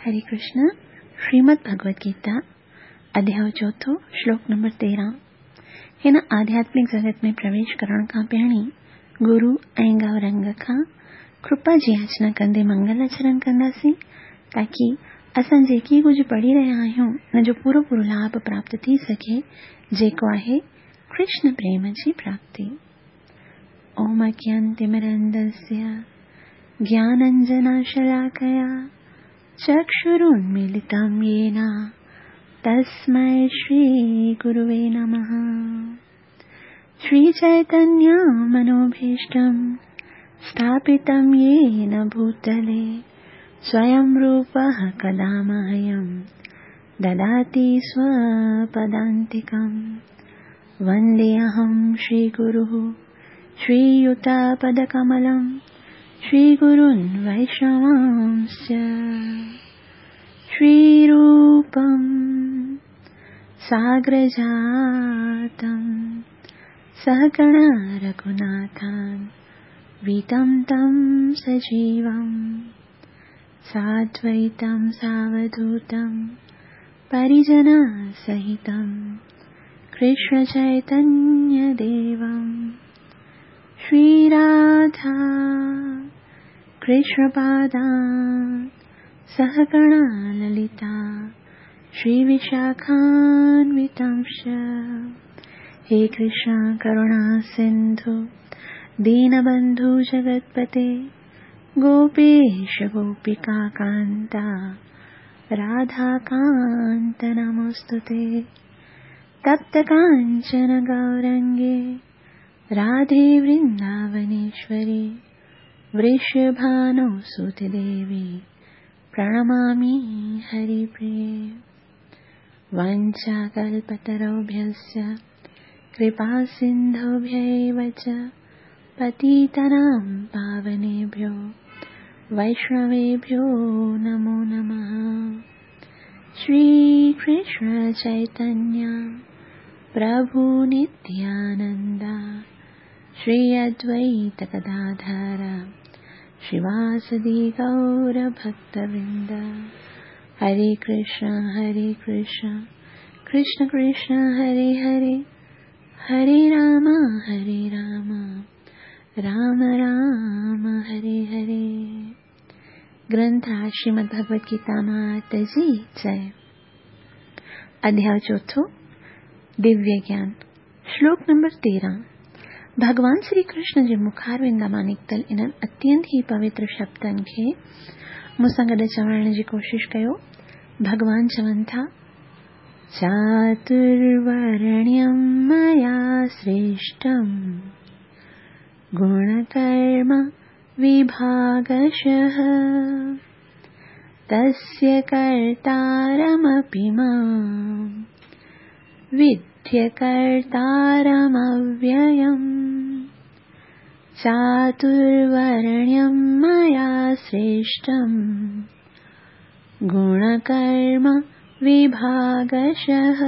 هري ڪرشن، شريمد ڀڳوت گيتا، اڌياء چوٿون، شلوڪ نمبر 13. هن آڌياتمڪ جڳت ۾ پرويش ڪرڻ کان پهرين گرو ۽ گئورنگ کان ڪرپا جي ياچنا ڪندي منگل آچرڻ ڪنداسين تاڪي اسان جيڪي ڪجهه پڙهي رهيا آهيون ان جو پورو پورو لاڀ پراپت ٿي سگهي جيڪو آهي ڪرشن پريم جي پراپتي. اوم اجنانتمرندسيه گيانانجنشلاڪيا چڪشرونميلتم يين تسمي شري گروي نمه. شري چيتنيه منوڀيشٽم اسٿاپتم يين ڀوتلي سويم روپه ڪدا مهيم دداتي سوپدانتڪم. ونديهم شري گروه شري يوتپدڪملم شري گرون ويشنوانس شري روپم ساگرجاتم سهگڻ رघوناٿان ويتم تم سجيوم سادويتم ساوڌوتم پريجن سهتم ڪرشن چيتنيه ديوم شري راڌا ڪرشن پادان سهگڻ للتا شري وشاکانوتمش. هي ڪرشن ڪروڻا سنڌو دينبنڌو جگتپتي گوپيش گوپيڪا ڪانتا راڌا ڪانت نموستتي. تپت ڪانچن گورنگي راڌي ورنداونيشوري ورشڀانو سوت ديوي پرڻمامي هري پريي. وانڇاڪلپتروڀيشچ ڪرپا سنڌوڀيو چ پتيتنام پاونيڀيو ويشنويڀيو نمو نمه. شري ڪرشن چيتنيه پرڀو نتيانندا شري ادويت گداڌر شريواسدي گور ڀڪتورند. هري ڪرشن هري ڪرشن ڪرشن ڪرشن هري هري، هري رام هري رام رام رام هري هري. گرنٿ راج شريمد ڀڳوت گيتا مات جي جئي. اڌياء چوٿون، دويه گيان، شلوڪ نمبر 13. ڀڳوان شري ڪرشن جي مکاروندا مان نڪتل انهن اتينت ئي پوتر شبدن کي مون سان گڏ چوڻ جي ڪوشش ڪيو. ڀڳوان چون ٿا، چاترورڻيم ميا سريشٽم گڻڪرم وڀاگشः تسيه ڪرتارمپي مام وڌيه ڪرتارمويم. چاترورڻيم ميا سريشٽم گڻڪرم وڀاگشः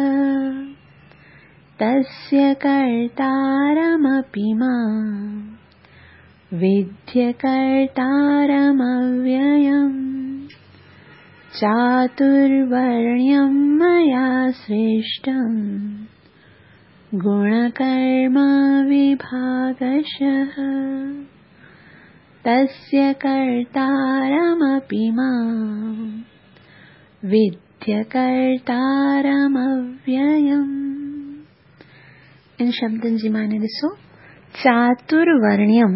تسيه ڪرتارمپي مام وڌيه ڪرتارمويم. چاترورڻيم ميا سريشٽم گڻڪرم وڀاگشः تسيه ڪرتارمپي مام وڌيه ڪرتارمويم. ان شبدن جي معني ڏسو. چاترورڻيم،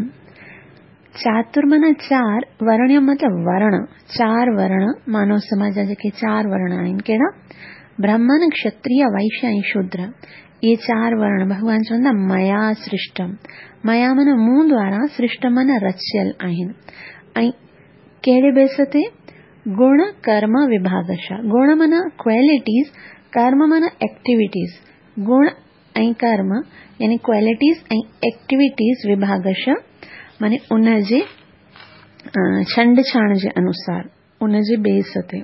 چاتر معنيٰ چار، ورڻيم مطلب ورڻ، چار ورڻ، مانو سماج جا جيڪي چار ورڻ آهن، ڪهڙا؟ برهمڻ، کشتريه، وئشيه ۽ شودر. اهي چار ورڻ ڀڳوان چون ٿا ميا سرشٽم، ميا معنيٰ مون دوارا، سرشٽم معنيٰ رچيل آهن. ۽ ڪهڙي بيس تي؟ گڻ ڪرم وڀاگشا. گڻ معنيٰ ڪوالٽيز، ڪرم معنيٰ ايڪٽيوٽيز. گڻ ۽ ڪرم يعني ڪوالٽيز ۽ ايڪٽيوٽيز وڀاگشا معنيٰ ان جي ڇنڊ ڇاڻ جي انوسار، ان جي بيس تي.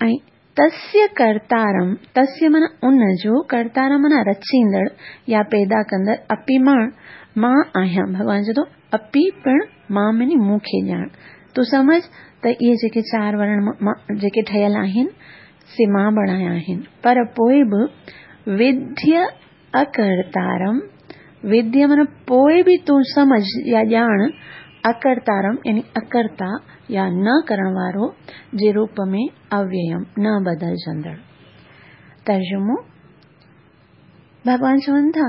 ۽ تسيه ڪرتارم، تسيه معنيٰ ان جو، ڪرتارم معنيٰ رچيندڙ يا پيدا ڪندڙ، اپي مان، مان آهيان. ڀڳوان چئي ٿو اپي پڻ مان معني مون کي ڄاڻ. تون سمجهه ته اهي جيڪي چار ورڻ جيڪي ٺهيل آهن، سي مان بڻايا آهن. پر پوء به وڌيء اڪرتارم، وڌيء معنيٰ پوء به تون سمجهه يا ڄاڻ، اڪرتارم يعني اڪرتا يا نه ڪرڻ وارو جي روپ ۾ اويم، نه بدلجندڙ. ترجمو، ڀڳوان چون ٿا،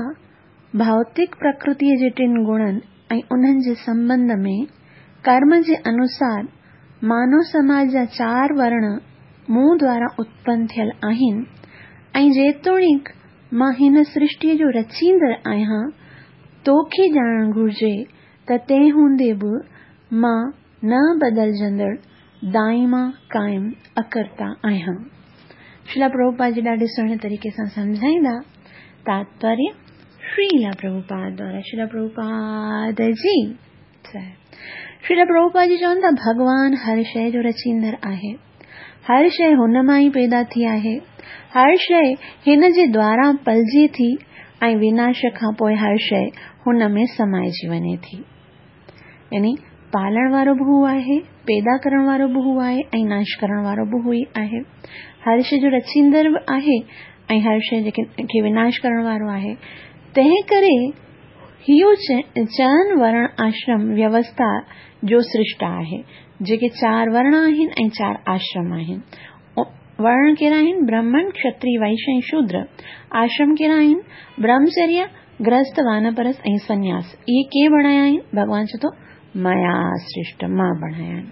ڀوتڪ پرڪرتيء جي ٽن گڻن ۽ انهن جي سنٻنڌ ۾ ڪرم جي انوسار مانو سماج جا چار ورڻ مون دوارا اتپن ٿيل آهن ۽ جيتوڻيڪ مان هن سرشٽيء جو رچيندڙ آهيان، توکي ڄاڻڻ گهرجي ته تنهن هوندي به مان نه بدلجندڙ، دائما قائم، اڪرتا آهيان. شريلا پرڀوپاد جي ڏاڍي سهڻي طريقي سان سمجهائيندا. تاتپريه، شريلا پرڀوپاد دوارا شريلا پرڀوپاد جي جئه. شريلا پرڀوپاد جي چون ٿا ڀڳوان هر شيء جو رچيندڙ آهي. هر شيء هن مان ئي پيدا ٿي آهي. هر شيء هن جي دوارا پلجي ٿي ۽ وناش کان پوء هر شيء هن ۾ سمائجي وڃي ٿي. يعني پالڻ وارو به هو آهي، پيدا ڪرڻ وارو به هو آهي ۽ ناش ڪرڻ وارو به هو ئي آهي. هر شيء جو رچيندڙ به آهي ۽ هر شيء کي وناش ڪرڻ وارو آهي. تنهن ڪري اهو چئن ورڻ آشرم ويوسٿا جو سرشٽا آهي، جيڪي چار ورڻ آهن ۽ چار آشرم آهن. ورڻ ڪهڙا آهن؟ برهمڻ، کشتري، وئش ۽ شودر. آشرم ڪهڙا آهن؟ برهمچريه، گرهست، وانپرست ۽ سنياس. اهي ڪنهن بڻايا آهن؟ ڀڳوان چئي ٿو، ميا سرشٽ، مان بڻايا آهن.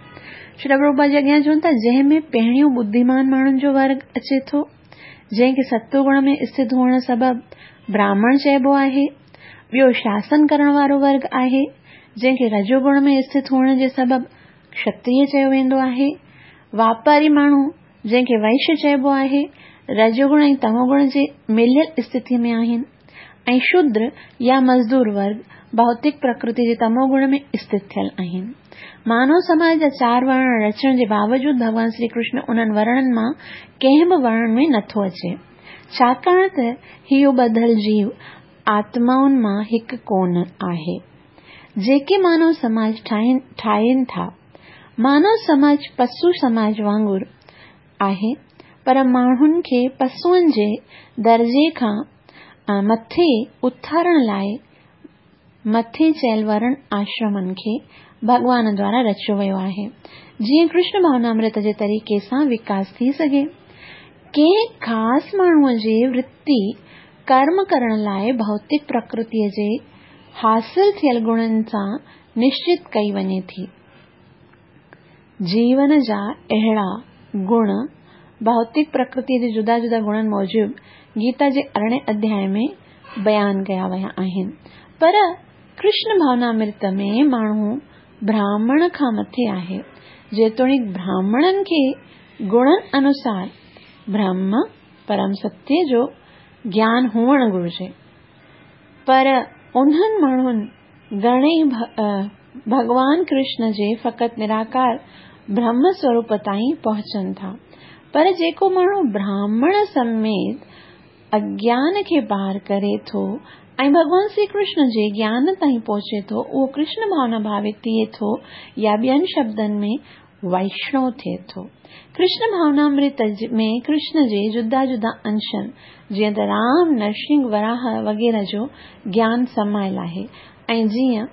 شريلا پرڀوپاد جي اڳيان چون ٿا، جنهن ۾ پهريون ٻڌيمان ماڻهن جو ورگ اچي ٿو، جنهن کي ستو گڻ ۾ اسٿت هئڻ سبب براهمڻ چئبو آهي. ٻيو شاسن ڪرڻ وارو ورگ آهي، جنهن کي رجو گڻ ۾ اسٿت هئڻ جي سبب کشتريه چيو ويندو آهي. واپاري ماڻهو، جنهن کي وئش چئبو آهي، رجوگڻ ۽ تموگڻ جي مليل اسٿتيء ۾ آهن ۽ شودر يا مزدور ورگ ڀوتڪ پرڪرتي جي تموگڻ ۾ اسٿت ٿيل آهن. مانو سماج جا چار ورڻ رچڻ جي باوجود ڀڳوان شري ڪرشن انهن ورڻن مان ڪنهن به ورڻ ۾ نٿو اچي، ڇاڪاڻ ته اهو ٻڌل جيو آتمائن مان هڪ ڪونه آهي، جيڪي مانو سماج ٺاهين ٿا. مانو سماج پسو سماج وانگر آهي، پر ماڻهن کي پسوئن جي درجي کان مٿي اٿارڻ لاء مٿي چيل ورڻ آشرمن کي ڀڳوان دوارا رچيو ويو آهي، جيئن ڪرشن ڀاونامرت جي طريقي سان وڪاس ٿي سگهي. ڪنهن خاص ماڻهوء جي ورتي ڪرم ڪرڻ لاء ڀوتڪ پرڪرتيء جي حاصل ٿيل گڻن سان نشچت ڪئي وڃي ٿي. جيون جا اهڙا گڻ ڀوتڪ پرڪرتيء جي جدا جدا گڻن موجب گيتا جي ارڙهين اڌياء ۾ بيان ڪيا ويا آهن. پر ڪرشن ڀاونامرت ۾ ماڻهو براهمڻ کان مٿي آهي. جيتوڻيڪ براهمڻن کي گڻن انوسار برهم، پرم ستيه، جو گيان هئڻ گهرجي، پر انهن ماڻهن گهڻئي ڀڳوان ڪرشن جي فقط نراڪار برهم سوروپ تائين پهچن ٿا. پر جيڪو ماڻهو براهمڻ سميت اگيان کي پار ڪري ٿو ۽ ڀڳوان شري ڪرشن جي گيان تائين پهچي ٿو، اهو ڪرشن ڀاونا ڀاوت ٿئي ٿو يا ٻين شبدن ۾ وئشڻو ٿئي ٿو. ڪرشن ڀاونامرت ۾ ڪرشن جي جدا جدا انشن جيئن ته رام، نرسنگهه، وراهه وغيره جو گيان سمايل آهي ۽ جيئن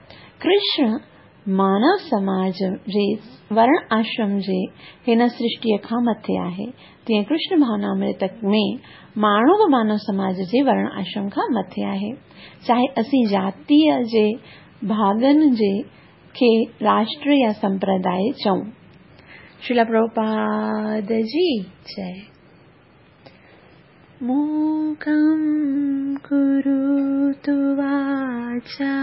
ڪرشن مانو سماج جي ورڻ آشرم جي هن سرشٽيء کان مٿي آهي، تيئن ڪرشن ڀاونامرت ۾ ماڻهو به مانو سماج جي ورڻ آشرم کان مٿي آهي. چاهي اسين جاتيء جي ڀاڳن جي کي راشٽر يا سمپرداء چئون. شريلا پرڀوپاد جي جئه. موڪم ڪروتو واچالم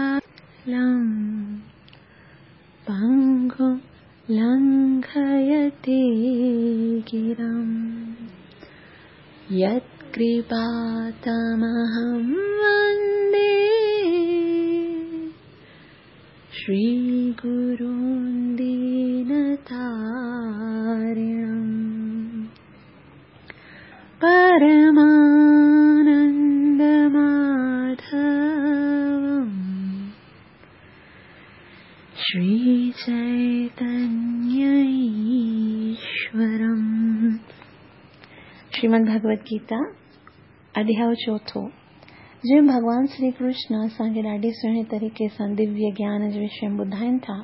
پنگم لنگهيتي گرم يت ڪرپا تمهم وندي شري گرون دينتارڻم پرمانند ماڌوم شري چيتنيه. شريمد ڀڳوت گيتا اڌياء چوٿون جنهن ۾ ڀڳوان شري ڪرشن اسان کي ڏاڍي سهڻي طريقي سان دويه گيان جي وشي ۾ ٻڌائين ٿا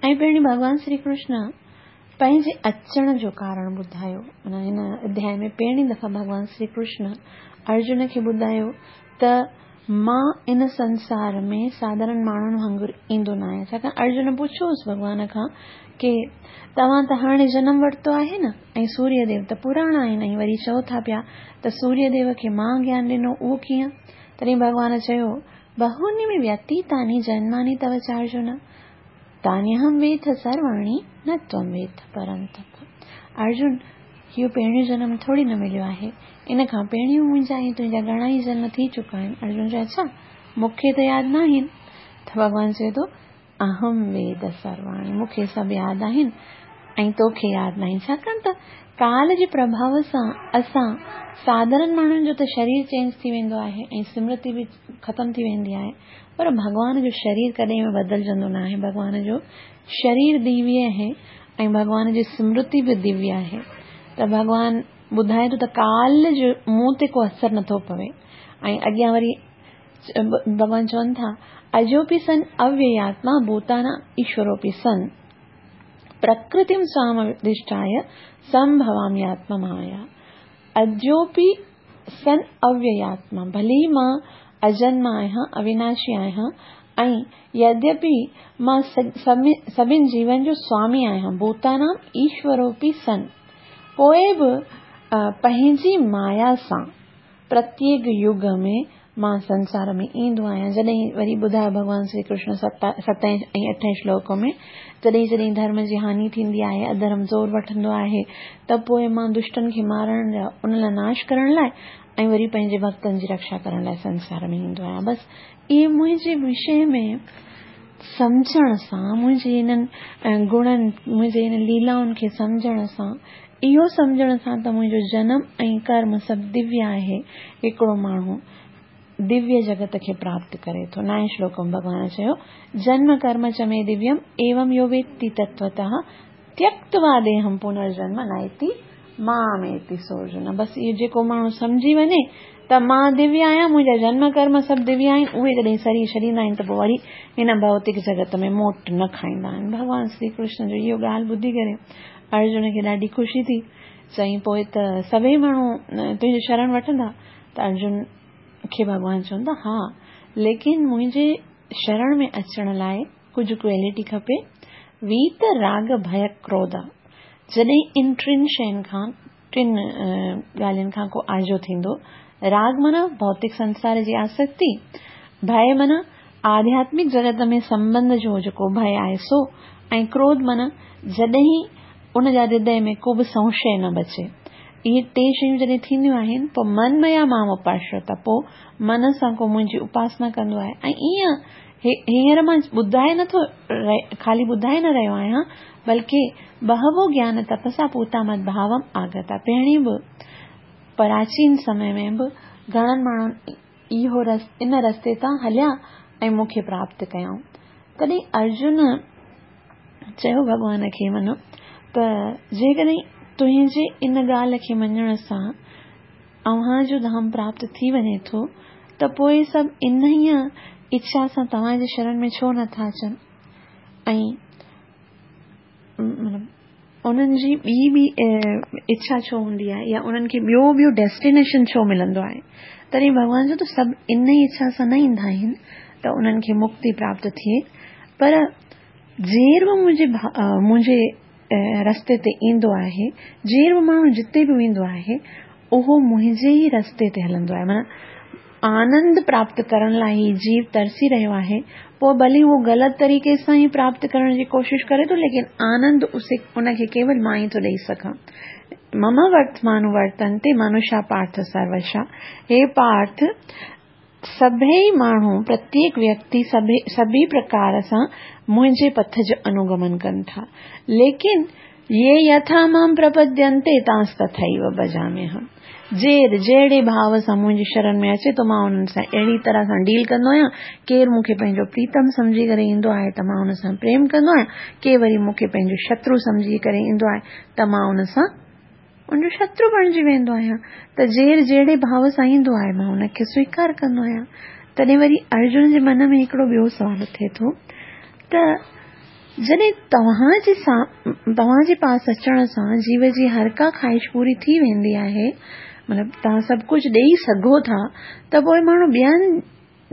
۽ پهرين ڀڳوان شري ڪرشن پنهنجي اچڻ جو ڪارڻ ٻڌايو معنيٰ هن اڌياء ۾ پهرين دفعا ڀڳوان شري ڪرشن ارجن کي ٻڌايو ته مان ان سنسار ۾ ساڌارڻ ماڻهن وانگر ايندو نه آهيان. ڇاڪاڻ ارجن پڇيو هوس ڀڳوان کان ڪي توهان ته هاڻي جنم ورتو آهي نه ۽ سوريه ديو ته پراڻا آهن ۽ وري چئو ٿا پيا ته سوريه ديو کي مان گيان ڏنو اهو ڪيئن؟ تڏهن ڀڳوان چيو، بهوني ۾ ويتيتاني جنماني تو چارجن، تانيهم ويٿ سرواڻي نه تون ويٿ پرنتپ. ارجن! اهو پهريون جنم ٿوري نه مليو آهي. ان کان پهريون منهنجا ۽ تنهنجا گهڻا ئي جنم ٿي چڪا آهن. ارجن چيو، اڇا! مون کي ته ياد ناهن. ته ڀڳوان چئي ٿو، اهم ويد سرواڻي، مون کي سڀ ياد آهن ۽ توکي ياد ناهن. ڇاڪاڻ ته ڪال جي پرڀاء سان اسان ساڌارڻ ماڻهن جو ته شرير چينج ٿي ويندو آهي ۽ سمرتي به ختم ٿي ويندي آهي پر ڀڳوان جو شرير ڪڏهن به بدلجندو ناهي. ڀڳوان جو شرير دويه آهي ۽ ڀڳوان جي سمرتي به دويه آهي ته ڀڳوان ٻڌائي ٿو ته ڪال جو مون تي ڪو اثر نٿو پوي ۽ اڳيان وري ڀڳوان چون ٿا اجوپي سن اويياتما ڀوتانا ايشوروپي سن پرڪرتيم سوامڌشٺايه سمڀوامياتما مايا اجوپي سن اويياتما، ڀلي مان اجنما آهيان، اويناشي آهيان ۽ يديپي مان سڀن جيون جو سوامي آهيان، ڀوتانام ايشوروپي سن، پوء به پنهنجي مايا سان پرتيڪ يگ ۾ مان سنسار ۾ ايندو آهيان. جڏهن وري ٻڌايو ڀڳوان شري ڪرشن ستين ۽ اٺين شلوڪ ۾ جڏهن جڏهن ڌرم جي هاني ٿيندي آهي، اڌرم زور وٺندو آهي ته پوء مان دشٽن کي مارڻ لاء، انهن لاء ناش ڪرڻ لاء ۽ وري پنهنجي ڀڳتن جي رڪشا ڪرڻ لاء سنسار ۾ ايندو آهيان. بس اهي منهنجي وشي ۾ سمجهڻ سان، منهنجي انهن گڻن، منهنجي انهن ليلائن کي سمجهڻ سان، اهو سمجهڻ سان ته منهنجو جنم ۽ ڪرم سڀ دويه آهي، هڪڙو ماڻهو دويه جڳت کي پراپت ڪري ٿو. نائين شلوڪ ۾ ڀڳوان چيو، جنم ڪرم چ مي دويم ايوم يو ويتي تتوتः تيڪتوا ديهم پنرجنم نائتي ماميتي سورجن. بس اهو جيڪو ماڻهو سمجهي وڃي ته مان دويه آهيان، منهنجا جنم ڪرم سڀ دويه آهن، اهي جڏهن سرير ڇڏيندا آهن ته پوء وري هن ڀوتڪ جڳت ۾ موٽ نه کائيندا آهن. ڀڳوان شري ڪرشن جو اهو ڳالهه ٻڌي ڪري ارجن کي ڏاڍي خوشي ٿي. چيائين پوء ته سڀئي ماڻهو تنهنجو شرڻ وٺندا؟ ته ارجن کي ڀڳوان چون ٿا ها، ليڪن منهنجي شرڻ ۾ اچڻ لاء ڪجهه ڪوئلٽي کپي، ويت راڳ ڀئه ڪروڌ. جڏهن ان ٽن شين کان، ٽن ڳالهين کان ڪو آجو ٿيندو، راڳ معنيٰ ڀوتڪ سنسار جي آسڪتي، ڀئه معنيٰ آڌياتمڪ جڳت ۾ سنٻنڌ جو جيڪو ڀئه آهي سو، ۽ ڪروڌ معنيٰ جڏهن ان جا هردي ۾ ڪو به سنشي نه بچي. اهي ٽي شيون جڏهن ٿينديون آهن پوء من ميا مام اپاشرتا پوء من سان ڪو منهنجي اپاسنا ڪندو آهي ۽ ائين هينئر مان ٻڌائي نه ٿو خالي ٻڌائي نه رهيو آهيان بلڪه بهوو گيان تپسا پوتا مد ڀاوم آگتا پهرين به پراچين سمي ۾ به گهڻن ماڻهن اهو ان رستي تان هليا ۽ مون کي پراپت ڪيائون. تڏهن ارجن چيو ڀڳوان کي منو ته جيڪڏهن تنهنجي ان ڳالهه کي مڃڻ سان اوهان جو ڌام پراپت ٿي وڃي ٿو ته پوء سڀ انهيء اڇا سان توهان جي شرڻ ۾ ڇو نٿا اچن ۽ انهن جي ٻي ٻي اڇا ڇو هوندي آهي يا انهن کي ٻيو ٻيو ڊيسٽينيشن ڇو ملندو آهي تڏهن ڀڳوان چيو ته سڀ ان ئي اڇا سان نه ايندا آهن ته انهن کي مڪتي پراپت ٿئي پر جير به منهنجي منهنجي رستي تي ايندو آهي جير به ماڻهو جتي به ويندو آهي اهو منهنجي ئي رستي تي هلندو آهي معنيٰ آنند پراپت ڪرڻ لاء هي جيو ترسي رهيو آهي، پوء ڀلي اهو غلط طريقي سان ئي پراپت ڪرڻ جي ڪوشش ڪري ٿو ليڪن آنند اسي ان کي ڪيول مان ئي ٿو ڏئي سگهان. مم ورتمانوورتنتي منشا پارٿ سروشا، هي پارٿ! سڀئي ماڻهو، پرتيڪ ويڪتي سڀئي پرڪار سان منهنجي پٿ جو انوگمن ڪن ٿا، ليڪن يي يٿا مام پرپدينتي تانستٿيو ڀجاميهم. جير جهڙي ڀاو سان منهنجي شرڻ ۾ اچي ٿو مان انهن سان اهڙي طرح سان ڊيل ڪندو آهيان. ڪير مون کي پنهنجو پريتم سمجهي ڪري ايندو آهي ته مان ان سان پريم ڪندو آهيان. ڪي وري مون کي پنهنجو شترو سمجهي ڪري ايندو آهي ته مان ان سان ان جو شترو بڻجي ويندو آهيان. ته جير جهڙي ڀاو سان ايندو آهي، مان ان کي سويڪار ڪندو آهيان. تڏهن وري ارجن جي من ۾ هڪڙو ٻيو سوال اٿي ٿو ته جڏهن توهان جي پاس اچڻ سان جيو جي هر ڪا خواهش پوري ٿي ويندي آهي، مطلب توهان سڀ ڪجهه ڏيئي سگهو ٿا، ته پوء ماڻهو ٻين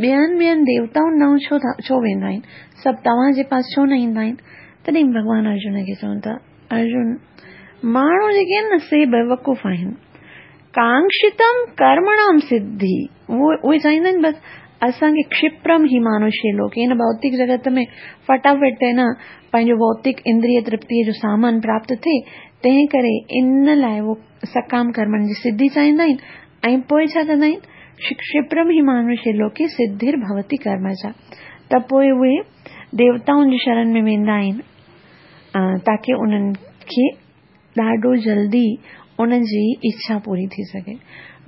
ٻين ٻين ديوتائن ڏانهن ڇو ٿا ڇو ويندا آهن؟ سڀ توهان جي پاس ڇو نه ايندا آهن؟ تڏهن ڀڳوان ارجن کي چون ٿا، ارجن! ماڻهو جيڪي آهن نه سي بيوقوف آهن. ڪانڪشتم ڪرمڻام سڌي، اهي چاهيندا آهن بس اسان کي ڪشپرم هي مانوشي لوڪ، هن ڀوتڪ جڳت ۾ فٽافٽ نه پنهنجو ڀوتڪ اندريه ترپتيء جو سامان پراپت ٿئي، تنهن ڪري ان لاء اهو سڪام ڪرمن جي سڌي چاهيندا آهن ۽ پوء ڇا ڪندا آهن؟ ڪشپرم هي مانوشي لوڪي سڌر ڀوتي ڪرمجا، ته پوء اهي ديوتائن جي شرن ۾ ويندا آهن تاڪه انهن کي ڏاڍو جلدي انهن جي اڇا پوري ٿي سگهي.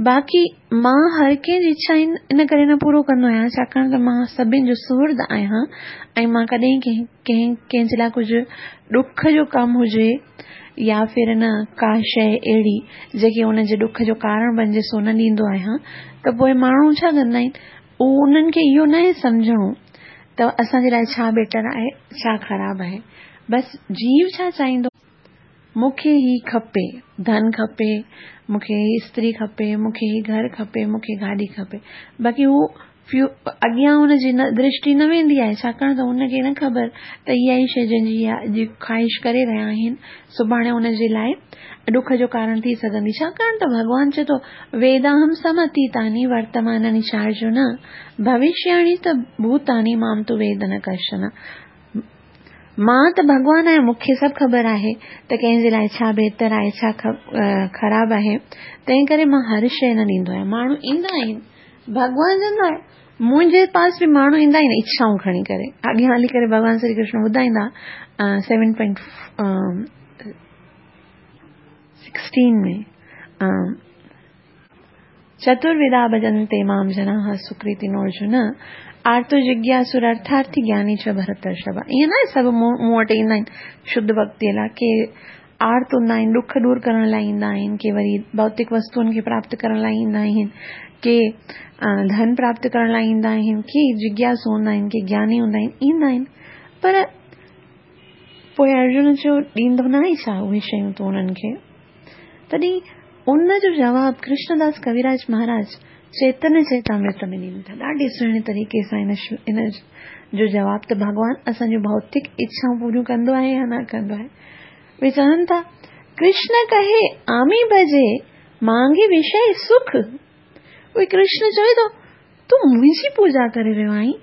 باقي مان هر ڪنهن جي اڇا ان ڪري نه پورو ڪندو آهيان ڇاڪاڻ ته مان سڀني جو سهرد آهيان ۽ مان ڪڏهن ڪنهن ڪنهن جي لاء ڪجهه ڏک جو ڪم هجي يا ڦر نه ڪا شيء اهڙي جيڪي ان جي ڏک جو ڪارڻ بنجي سو نه ڏيندو آهيان ته پوء ماڻهو ڇا ڪندا آهن انهن کي اهو ناهي سمجهڻو ته اسان جي لاء ڇا بيٽر آهي ڇا خراب آهي بس جيو ڇا چاهيندو مون کي هي کپي ڌن کپي مون کي هي استري کپي مون کي هي گهر کپي مون کي گاڏي کپي باقي هو اڳيان هن جي درشٽي نه ويندي آهي، ڇاڪاڻ ته هن کي نه خبر ته اها ئي شيء جنهن جي اها اڄ خواهش ڪري رهيا آهن، سڀاڻي هن جي لاء ڏک جو ڪارڻ ٿي سگهندي. ڇاڪاڻ ته ڀڳوان چئي ٿو، ويداهم سمتيتاني ورتماناني چارجن، ڀوشياڻي ته ڀوتاني مام تو ويد نه ڪشچن. مان ته ڀڳوان آهيان، مون کي سڀ خبر آهي ته ڪنهن جي لاء ڇا بهتر آهي، ڇا خراب آهي، تنهن ڪري مان هر شيء نه ڏيندو آهيان. ماڻهو ايندا آهن، ڀڳوان چوندو آهي، منهنجي پاس به ماڻهو ايندا آهن اڇائون کڻي ڪري. اڳيان هلي ڪري ڀڳوان شري ڪرشن ٻڌائيندا سيون پوائنٽ سڪسٽين ۾. چتروڌا ڀجنتي مام جناح سڪرتينو ارجن، آرتو جگياسر ارٿارٿي گياني چ ڀرترشڀ. ائين ناهي سڀ مون وٽ ايندا آهن شڌ ڀڳتيء لاء، ڪي آرت هوندا آهن ڏک دور ڪرڻ لاء ايندا آهن، ڪي وري ڀوتڪ وستوئن کي پراپت ڪرڻ لاء ايندا آهن، ڪي ڌن پراپت ڪرڻ لاء ايندا آهن، ڪي جگياسو هوندا آهن، ڪي گياني هوندا آهن، ايندا آهن. پر پوء ارجن چيو، ڏيندو ناهين ڇا اهي شيون تون انهن کي؟ تڏهن ان جو جواب ڪرشن داس ڪويراج مهاراج چيتنيه چريتامرت ۾ ڏين ٿا. ڏاڍي سهڻي طريقي سان ان جو جواب ته ڀڳوان اسان جون ڀوتڪ اڇائون پوريون ڪندو آهي يا نه ڪندو آهي. اهي چون ٿا، ڪرشن ڪهي آمي ڀجي، مانگي وشي سک. اهي ڪرشن چوي ٿو، تون منهنجي پوڄا ڪري رهيو آهين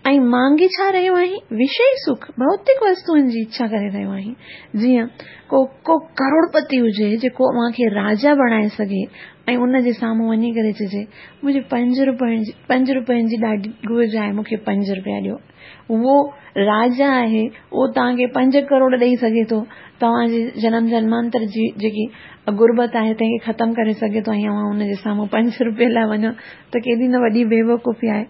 ۽ مانگي ڇا رهيو آهين؟ وشي سک، ڀوتڪ وستوئن جي اڇا ڪري رهيو آهين. جيئن ڪو ڪو ڪروڙپتي هجي جيڪو اوهان کي راجا بڻائي سگهي ۽ ان جي سامهون وڃي ڪري چئجي منهنجي پنج روپين جي ڏاڍي گهرج آهي مون کي پنج روپيا ڏيو. اهو راجا آهي، اهو توهان کي پنج ڪروڙ ڏئي سگهي ٿو، توهان جي جنم جنمانتر جي جيڪي غربت آهي تنهن کي ختم ڪري سگهي ٿو ۽ اوهان ان جي سامهون پنج روپين لاء وڃو ته ڪيڏي نه وڏي بيوقوفي آهي.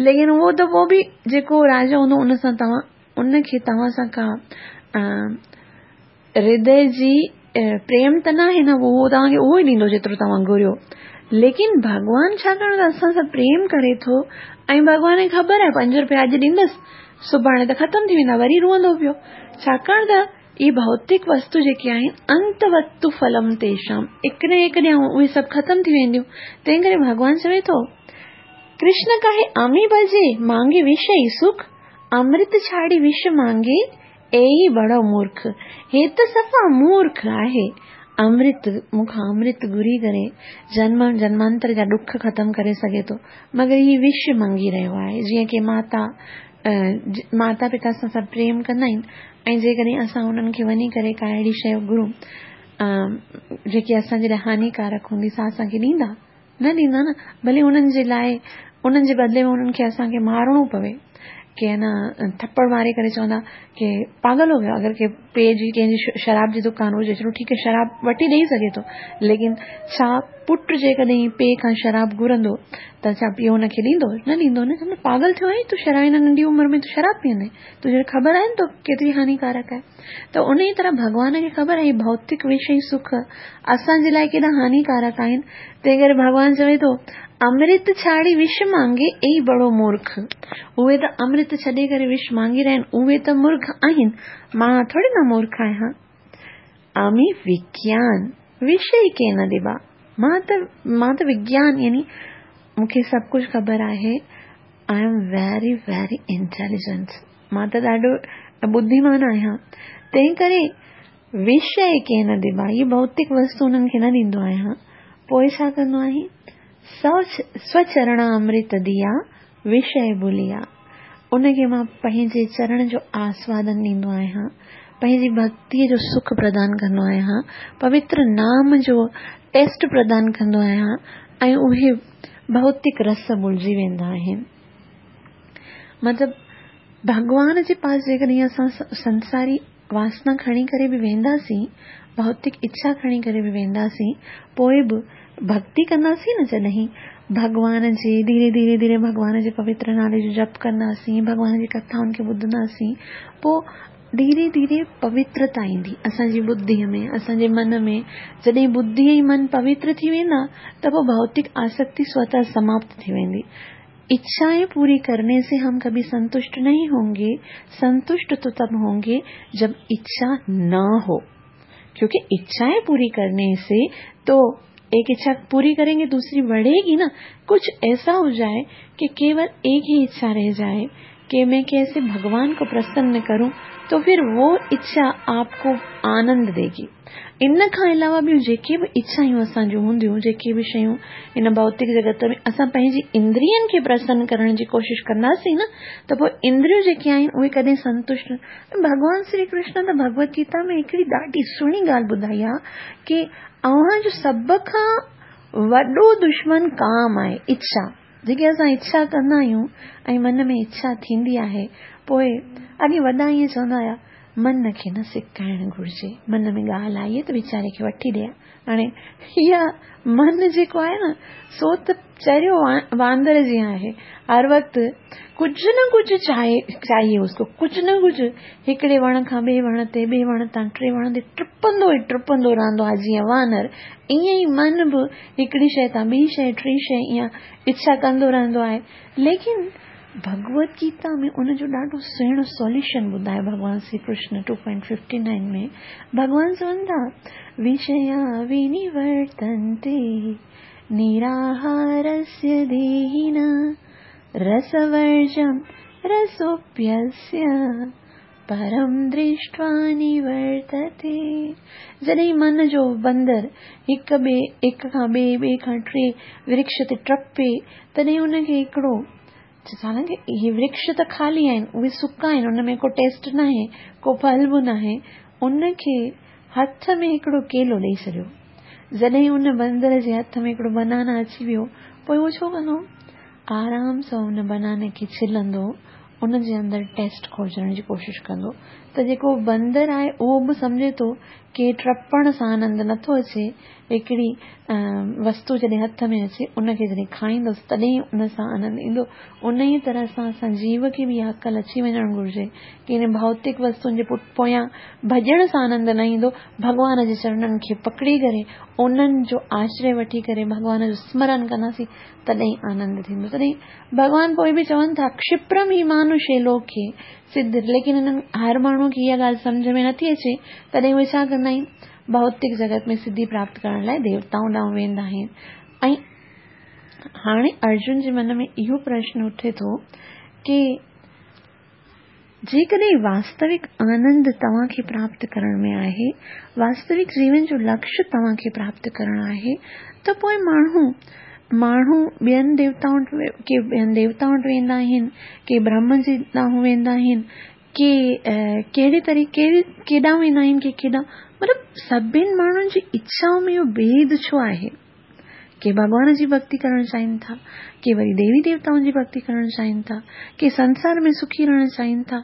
ليڪن اهو ته پوء به جيڪو راجا هوندو ان سان توهان ان کي توهان سان ڪا هردي جي پريم ته ناهي نه اهو توهان کي اهو ئي ڏيندو جيترو توهان گهريو. ليڪن ڀڳوان ڇاڪاڻ ته اسان سان پريم ڪري ٿو ۽ ڀڳوان کي خبر آهي پنج روپيا اڄ ڏيندس سڀاڻي ته ختم ٿي ويندا وري روئندو پيو. ڇاڪاڻ ته اهي ڀوتڪ وستو جيڪي آهن انتوتو ڦلم تيشام هڪ نه هڪ ڏينهن اهي سڀ ختم ٿي وينديون. تنهن ڪري ڀڳوان چوي ٿو ڪرشن ڪاهي آمي ڀجي مانگي وشئي سک امرت ڇاڙي وش مانگي اي بڙو مورک، هي ته صفا مورک آهي. امرت، مون کان امرت گهري ڪري جنم جنمانتر جا ڏک ختم ڪري سگهي ٿو، مگر هي وش مانگي رهيو آهي. جيئن ڪي ماتا، ماتا پتا سان سڀ پريم ڪندا آهن ۽ جيڪڏهن اسان انهن کي وڃي ڪري ڪا اهڙي شيء گهرون، جيڪي اسان جي لاء هانيڪارڪ هوندي، سا اسان کي ڏيندا؟ نه ڏيندا نه، ڀلي انهن جي لاء انهن جي بدلي ۾ انهن کي اسان کي مارڻو پوي. ڪي نه ٿپڙ ماري ڪري چوندا ڪي پاڳل هو ويو اگر ڪي پيء جي ڪنهن جي شراب جي دڪان هجي چلو ٺيڪ آهي شراب وٺي ڏئي سگهي ٿو ليڪن ڇا پٽ جيڪڏهن پيء کان شراب گهرندو ته ڇا پيء هن کي ڏيندو؟ نه ڏيندو نه. چوندو پاڳل ٿيو آهين تون شراب هن ننڍي عمر ۾ تون شراب پيئندين؟ تنهنجي خبر آهي نه تو ڪيتري هانيڪارڪ آهي. ته ان ئي طرح ڀڳوان کي خبر آهي ڀوتڪ وشي سک اسان جي لاء ڪيڏا هانيڪارڪ آهن. تنهن ڪري ڀڳوان چوي ٿو امرت ڇاڙي وش مانگي اي بڙو مورک. اهي ته امرت ڇڏي ڪري وش مانگي رهيا آهن اهي ته مورک آهن مان ٿوري نه مورک آهيان. آمي وگيان وشي ڪين ڏبا مان ته مان ته وگيان يعني مون کي سڀ ڪجهه خبر آهي I am very very intelligent مان ته ڏاڍو ٻڌيمان آهيان تنهن ڪري وشي ڪين ڏبا هي ڀوتڪ وستو انهن کي نه ڏيندو آهيان پوء ڇا ڪندو آهين سوچرڻ امرت ديا وشيه ڀليا، ان کي مان پنهنجي چرڻ جو آسوادن ڏيندو آهيان، پنهنجي ڀڳتيء جو سک پردان ڪندو آهيان، پوتر نام جو ٽيسٽ پردان ڪندو آهيان ۽ اهي ڀوتڪ رس ڀلجي ويندا آهن. مطلب ڀڳوان جي پاس جيڪڏهن اسان سنساري واسنا کڻي ڪري به وينداسين، ڀوتڪ اڇا کڻي ڪري به وينداسين، پوء به ڀڳتي ڪنداسين نه جڏهن ڀڳوان جي ڌيري ڌيري ڌيري ڀڳوان جي پوتر نالي جو جپ ڪنداسين، ڀڳوان جي ڪٿائن کي ٻڌنداسين، پوء ڌيري ڌيري پوترتا ايندي اسان جي ٻڌيء ۾ اسان جي من ۾، جڏهن ٻڌي ۽ من پوتر ٿي ويندا ته پوء ڀوتڪ آسڪتي سوتः سماپت ٿي ويندي. इच्छाएं पूरी करने से हम कभी संतुष्ट नहीं होंगे संतुष्ट तो तब होंगे जब इच्छा न हो क्योंकि इच्छाएं पूरी करने से तो एक इच्छा पूरी करेंगे दूसरी बढ़ेगी ना कुछ ऐसा हो जाए कि केवल एक ही इच्छा रह जाए कि मैं कैसे भगवान को प्रसन्न करूं तो फिर वो इच्छा आपको आनंद देगी ان کان علاوه ٻيون جيڪي به اڇائون اسان جون هونديون، جيڪي به شيون هن ڀوتڪ جڳت ۾ اسان پنهنجي اندرين کي پرسن ڪرڻ جي ڪوشش ڪنداسين نه ته پوء اندريون جيڪي آهن اهي ڪڏهن سنتشٽ نه ڀڳوان شري ڪرشن ته ڀڳوت گيتا ۾ هڪڙي ڏاڍي سهڻي ڳالهه ٻڌائي آهي ڪي اوهان جو سڀ کان وڏو دشمن ڪام آهي، اڇا. جيڪي اسان اڇا ڪندا آهيون ۽ من ۾ اڇا ٿيندي آهي پوء اڳي وڏا ائين چوندا هيا من کي نه سڪائڻ گهرجي من ۾ ڳالهه آئي ته ويچاري کي وٺي ڏي هاڻي اها من جيڪو آهي نه سو ته چريو واندر جيان آهي هر وقت ڪجهه نه ڪجهه چاهي چاهيي اس ڪو ڪجهه نه ڪجهه هڪڙي وڻ کان ٻئي وڻ تي ٻئي وڻ تان ٽي وڻ تي ٽپندو ئي ٽپندو رهندو آهي جيئن وانر ائين ئي من به هڪڙي شيء تان ٻي شيء ٽي شيء ائين اڇا ڪندو رهندو آهي ليڪن ڀڳوت گيتا ۾ ان جو ڏاڍو سهڻو سوليوشن ٻڌايو ڀڳوان شري ڪرشن 2.59 ۾ ڀڳوان چون ٿا وشيا ونيورتنتي نراهارسيه ديهنا رسورجم رسوپيسيه پرم درشٽوا نورتتي جڏهن من جو بندر هڪ ٻئي هڪ کان ٻئي ٻئي کان ٽي ورڪش تي ٽپي تڏهن ان کي هڪڙو حالانڪه اهي ورڪش ته خالي آهن اهي سڪا آهن ان ۾ ڪو ٽيسٽ ناهي ڪو ڦل به ناهي ان کي هٿ ۾ هڪڙو ڪيلو ڏئي ڇڏيو جڏهن ان بندر جي هٿ ۾ هڪڙو بنانا اچي ويو پوء اهو ڇو ڪندو آرام سان ان بناني کي ڇلندو ان جي اندر ٽيسٽ کوجڻ جي ڪوشش ڪندو ته جيڪو بندر آهي اهو به سمجهي ٿو ڪي ٽپڻ سان آنند نٿو اچي هڪڙي وستو جڏهن هٿ ۾ اچي ان کي جڏهن کائيندس تڏهن ان سان آنند ايندو انهيء طرح سان اسان جيو کي به اها عقل اچي وڃڻ گهرجي ڪي هن ڀوتڪ وستن جي پويان ڀڄڻ سان آنند نه ايندو ڀڳوان جي چرڻن کي پڪڙي ڪري انهن جو آشري وٺي ڪري ڀڳوان جو سمرن ڪنداسين تڏهن آنند ٿيندو تڏهن ڀڳوان پوء به چون ٿا ڪشپرم هي مانوشي لوڪي سڌ ليڪن هنن هر ماڻهو کي اها ڳالهه سمجهه ۾ نٿي اچي تڏهن اهي ڇا ڪندا آهن ڀوتڪ جڳت ۾ سڌي پراپت ڪرڻ لاء ديوتائن ڏانهن ويندا آهن ۽ هاڻي ارجن جي من ۾ اهو پرشن اٿي ٿو ڪي جيڪڏهن واستوڪ آنند توهان کي پراپت ڪرڻ ۾ آهي، واستوڪ جيون جو لڪش توهان کي پراپت ڪرڻ آهي ته پوء ماڻهو ماڻهو ٻين ديوتائن وٽ ڪي ٻين ديوتائن وٽ ويندا آهن، ڪي برهم جي ڏانهن ويندا آهن، ڪي ڪهڙي طريقي ڪيڏانهن ويندا آهن ڪي ڪيڏانهن مطلب سڀن ماڻهن جي اڇائن ۾ اهو ڀيد ڇو آهي؟ ڪي ڀڳوان جي ڀڳتي ڪرڻ چاهين ٿا، ڪي وري ديوي ديوتائن جي ڀڳتي ڪرڻ چاهين ٿا، ڪي سنسار ۾ سکي رهڻ چاهين ٿا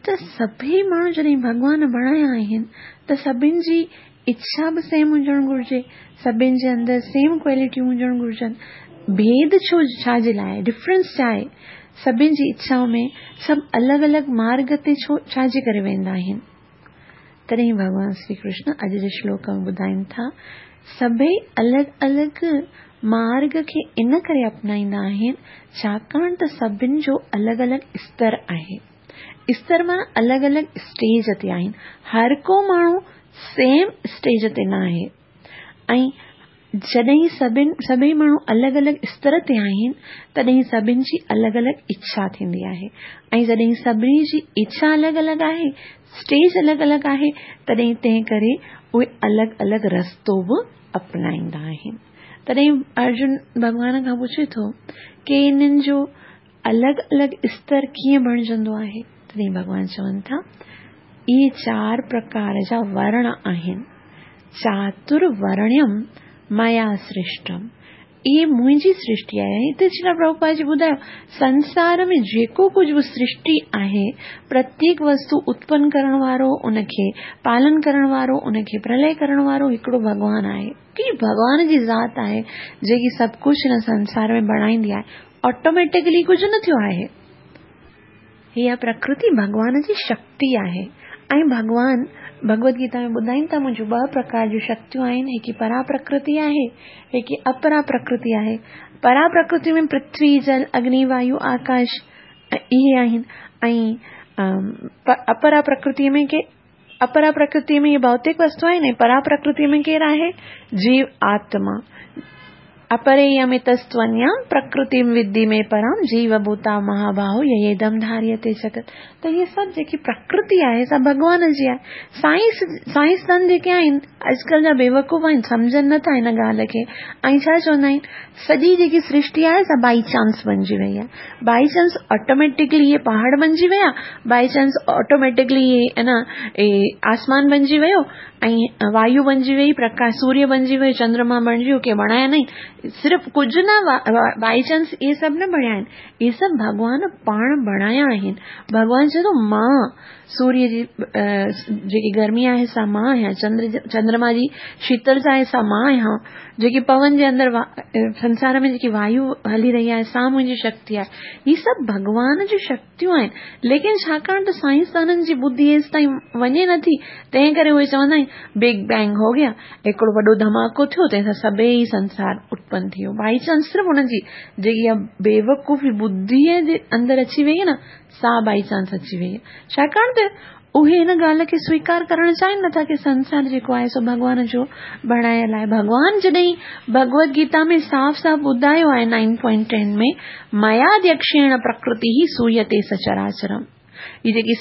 ته سڀئي ماڻهو جڏهن ڀڳوان بڻايا آهن ته سڀن جي اڇا به سيم هجڻ گهرجي، سڀني جي اندر سيم ڪوالٽيون هجڻ گهرجن. ڀيد ڇو ڇا جي لاء آهي؟ ڊفرنس ڇا آهي؟ سڀني جي اڇائن ۾ سڀ الڳ الڳ مارگ تي ڇو ڇا جي ڪري ويندا آهن؟ تڏهن ڀڳوان شري ڪرشن اڄ جي شلوڪ ۾ ٻڌائين ٿا، سڀئي الڳ الڳ مارگ کي ان ڪري اپنائيندا آهن، ڇاڪاڻ ته سڀن جو الڳ الڳ استر آهي. استر معنيٰ الڳ الڳ اسٽيج تي آهن. هر ڪو ماڻهو سيم اسٽيج تي نه آهي ۽ جڏهن سڀن سڀئي ماڻهو الڳ الڳ استر تي آهن تڏهن سڀن جي الڳ الڳ اڇا ٿيندي آهي ۽ جڏهن سڀني جي اڇا الڳ الڳ آهي اسٽيج الڳ الڳ آهي تڏهن تنهن ڪري اهي الڳ الڳ رستو به اپنائيندا آهن تڏهن ارجن ڀڳوان کان پڇي ٿو ڪي انهن جو الڳ الڳ استر ڪيئن بڻجندو آهي؟ تڏهن ڀڳوان چون ٿا، اهي چار پرڪار جا ورڻ آهن. چاتر ورڻيم ميا سرشٽم. اهي منهنجي سرشٽي آهي. هتي شريلا پرڀوپاد جي ٻڌايو، سنسار ۾ جيڪو ڪجهه به سرشٽي آهي، پرتيڪ وستو اتپن ڪرڻ وارو، ان کي پالن ڪرڻ وارو، ان کي پرلئه ڪرڻ وارو هڪڙو ڀڳوان آهي. هڪڙي ڀڳوان جي ذات آهي، جيڪي سڀ ڪجهه هن سنسار ۾ بڻائيندي آهي. آٽوميٽڪلي ڪجهه نه ٿيو آهي. هيء پرڪرتي ڀڳوان جي شڪتي آهي ۽ ڀڳوان ڀڳوت گيتا ۾ ٻڌائين ٿا منهنجون ٻه پرڪار جون شڪتيون آهن هڪ پرا پرڪرتي آهي هڪ اپرا پرڪرتي آهي. پرا پرڪرتي ۾ پرٿوي، جل، اگني، وايو، آڪاش اهي آهن ۽ اپرا پرڪرتي ۾ ڪي اپرا پرڪرتي ۾ اهي ڀوتڪ وستو آهن ۽ پرا پرڪرتي ۾ ڪير آهي؟ جيو آتما. اپرييمتستونيام پرڪرتيم ودي ۾ پرام جيو ڀوتا مهاباهو ييدم ڌاريتي جگت. ته هي سڀ جيڪي پرڪرتي آهي سا ڀڳوان جي آهي. سائنس سائنسدان جيڪي آهن اڄڪلهه جا بيوقوف آهن سمجهن نه ٿا هن ڳالهه کي ۽ ڇا چوندا آهن سڄي جيڪي سرشٽي آهي سا بائي چانس بنجي وئي آهي. بائي چانس آٽوميٽڪلي اهي پهاڙ بنجي ويا، بائي چانس آٽوميٽڪلي اهي نه آسمان بنجي ويو ۽ وايو بنجي وئي، پرڪاش سوريه بنجي ويو، چندرما بڻجي ويو، ڪنهن بڻايا نه آهن، صرف ڪجهه نه بائي چانس اهي سڀ نه بڻيا آهن، اهي سڀ ڀڳوان پاڻ بڻايا آهن، ڀڳوان چئي ٿو مان سوريه جي جيڪي گرمي آهي سا مان آهيان، چندر چندرما جي شيتلتا آهي سا مان آهيان، جيڪي پون جي اندر سنسار ۾ جيڪي وايو هلي رهي آهي سا منهنجي شڪتي آهي. هي سڀ ڀڳوان جون شڪتيون آهن. ليڪن ڇاڪاڻ ته سائنسدانن جي ٻڌي ايستائين وڃي نٿي تنهن ڪري اهي چوندا آهن بگ بينگ هو گيا هڪڙو وڏو ڌماڪو ٿيو تنهن سان سڀئي سنسار اتپن ٿي ويو. بائي چانس صرف انهن جي جيڪي اها بيوقوفي ٻڌيء جي اندر اچي وئي آهي نه سا بائي چانس اچي وئي آهي. ڇاڪاڻ ته اهي هن ڳالهه کي سويڪار ڪرڻ چاهين نٿا ڪي سنسار جيڪو آهي سو ڀڳوان جو بڻايل آهي. ڀڳوان جڏهن ڀڳوت گيتا ۾ صاف صاف ٻڌايو آهي نائن پوائنٽ ٽين ۾ مياديڪشيڻ پرڪرتي هي سويتي سچراچرم هي جيڪي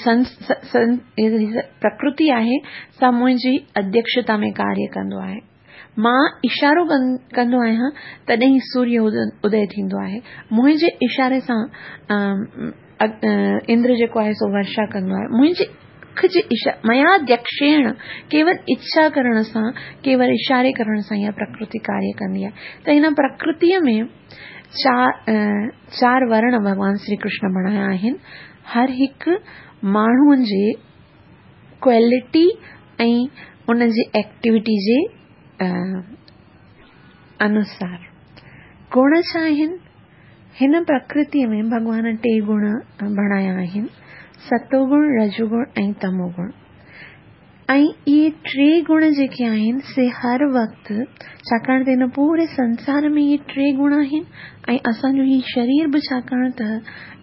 پرڪرتي آهي سا منهنجي اڌيڪشتا ۾ ڪاريه ڪندو آهي. مان اشارو ڪندو آهيان تڏهن ئي سوريه ادي ٿيندو آهي. منهنجي اشاري سان اندر جيڪو آهي سو ورشا ڪندو آهي. منهنجي اک جي مياديڪشيڻ ڪيول اڇا ڪرڻ سان ڪيول اشاري ڪرڻ سان اها پرڪرتي ڪاريه ڪندي آهي ته هن پرڪرتيء ۾ چار ورڻ ڀڳوان شري ڪرشن بڻايا آهن. هر هڪ ماڻهوء جي ڪوالٽي ۽ ان جي ايڪٽيوٽي جي انوسار. گڻ ڇا آهن؟ هن پرڪرتيء ۾ ڀڳوان ٽي گڻ بڻايا آهن، ستو گڻ، رجو گڻ ۽ تمو گڻ. ۽ اهي ٽي گڻ جيڪي آهن سي هر وقت ڇاڪاڻ ته هن پوري سنسار ۾ اهي ٽي گڻ آهن ۽ اسان جو هي شرير به ڇاڪاڻ ته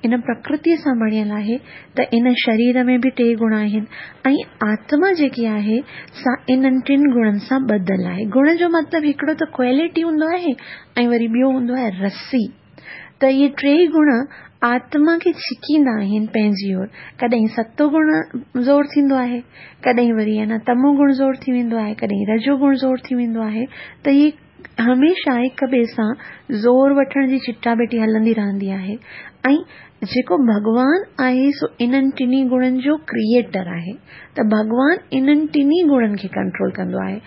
ان پرڪرتيء سان بڻيل آهي ته ان شرير ۾ به ٽي گڻ آهن ۽ آتما جيڪي آهي سا انهن ٽن گڻن سان ٻڌل آهي. گڻ جو مطلب هڪڙو ته ڪوالٽي هوندو آهي ۽ وري ٻيو هوندو آهي رسي. ته اهي ٽيئي گڻ آتما کي ڇڪيندا آهن پنهنجي اور. ڪڏهن ستو گڻ زور ٿيندو آهي، ڪڏهن وري اڃا تمو گڻ زور ٿي ويندو آهي، ڪڏهن رجو گڻ زور ٿي ويندو آهي ته اهي هميشه هڪ ٻئي سان زور وٺڻ جي چٽاڀيٽي هلندي رهندي آهي ۽ جيڪو ڀڳوان آهي سو انهن ٽنهي گڻن جو ڪريئيٽر آهي ته ڀڳوان انهن ٽنهي گڻن کي ڪنٽرول ڪندو آهي.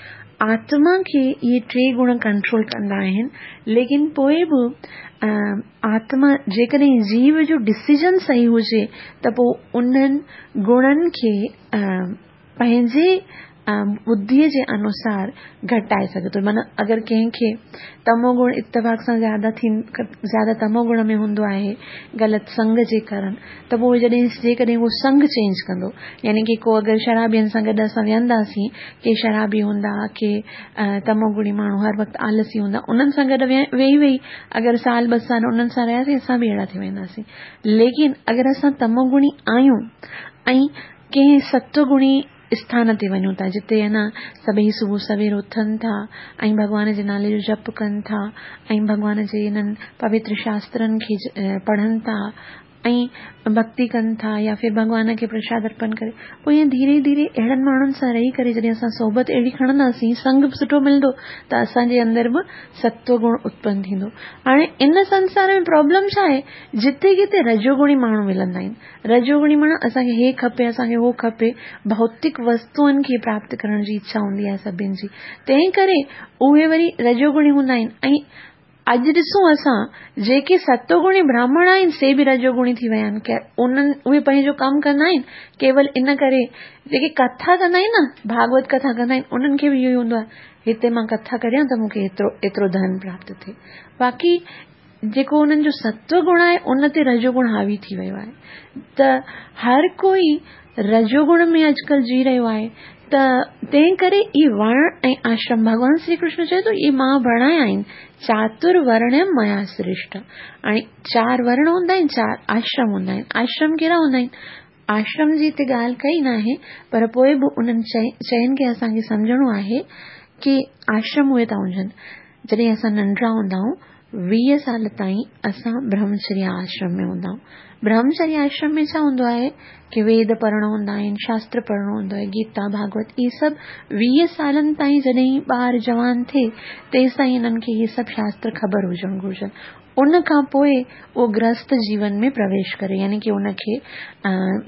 آتما کي اهي ٽي گڻ ڪنٽرول ڪندا آهن ليڪن پوء به آتما جيڪڏهن جيو جو ڊسيزن صحيح هجي ته پوء انهن گڻن کي پنهنجي ٻڌيء جي انوسار گهٽائي سگهي ٿو. معنيٰ اگر ڪنهن کي تمو گڻ اتفاق سان زياده ٿي زياده تمو گڻ ۾ هوندو آهي غلط سنگ جي ڪارڻ ته پوء جڏهن جيڪڏهن هو سنگ چينج ڪندو يعني ڪي ڪو اگر شرابين سان گڏ اسان ويهنداسين ڪي شرابي هوندا ڪي تمو گڻي ماڻهو هر وقت آلسي هوندا انهن سان گڏ ويهي ويهي اگر سال ٻه سال انهن سان رهياسين اسان به اهڙا ٿي وينداسين ليڪن اگر اسان تمو گڻي آهيون ۽ ڪنهن ستو گڻي اسٿان تي وڃون ٿا جتي اڃا سڀئي صبح سوير اٿن ٿا ۽ ڀڳوان جي نالي جو جپ ڪن ٿا ۽ ڀڳوان جي انهن پوتر شاسترن کي پڙهن ٿا ۽ ڀڳتي ڪن ٿا يا ڦر ڀڳوان کي پرشاد ارپن ڪري پوء ائين ڌيري ڌيري اهڙن ماڻهن سان رهي ڪري جڏهن اسان صحبت اهڙي کڻنداسين سنگ به سٺو ملندو ته اسان جي اندر به ستو گڻ اتپن ٿيندو. هاڻي ان سنسار ۾ پرابلم ڇا آهي جتي ڪٿي رجوگڻي ماڻهو ملندا آهن رجوگڻي معنيٰ اسان کي هي کپي، اسان کي هو کپي، ڀوتڪ وستوئن کي پراپت ڪرڻ جي اڇا هوندي آهي سڀن جي، تنهن ڪري اهي وري رجوگڻي هوندا آهن ۽ اڄ ڏسون اسان جيڪي ستوگڻي براهمڻ آهن سي به رجوگڻي ٿي ويا آهن، انهن اهي پنهنجو ڪم ڪندا آهن ڪيول ان ڪري جيڪي ڪٿا ڪندا آهن نه ڀاڳوت ڪٿا ڪندا آهن انهن کي به اهو ئي هوندو آهي هتي مان ڪٿا ڪريان ته مون کي ايترو ايترو ڌن پراپت ٿئي باقي جيڪو انهن جو ستو گڻ آهي ان تي رجو گڻ حاوي ٿي ويو آهي ته هر ڪوئي رجو گڻ ۾ اڄڪلهه جي رهيو آهي ته تنهن ڪري اهي ورڻ ۽ آشرم ڀڳوان شري ڪرشن چئي ٿو اهي مان بڻايا آهن چاتر ورڻ ميا سرشٽ هاڻي چار ورڻ هوندا آهن چار آشرم هوندا آهن آشرم ڪهڙا هوندا آهن آشرم جي هتي ڳالهه ڪئي ناهي پر پوء به انهن شين کي اسان کي سمجهڻو آهي ڪي آشرم اهي ٿا هجن جڏهن اسان ننڍڙا هوندا آهيون 20 سال تائين اسان برهمچريا آشرم ۾ هوندا آهيون. برهمچريا آشرم ۾ ڇا هوندو آهي ڪي ويد پڙهڻو هوندا آهن، شاستر پڙهڻو هوندو آهي، گيتا، ڀاڳوت اهي سڀ 20 سالن تائين جڏهن ٻار جوان ٿئي تيستائين انهن کي اهي سڀ شاستر خبر هجڻ گهرجن. ان کان پوء اهو گرهست جيون ۾ پرويش ڪري يعني ڪي ان کي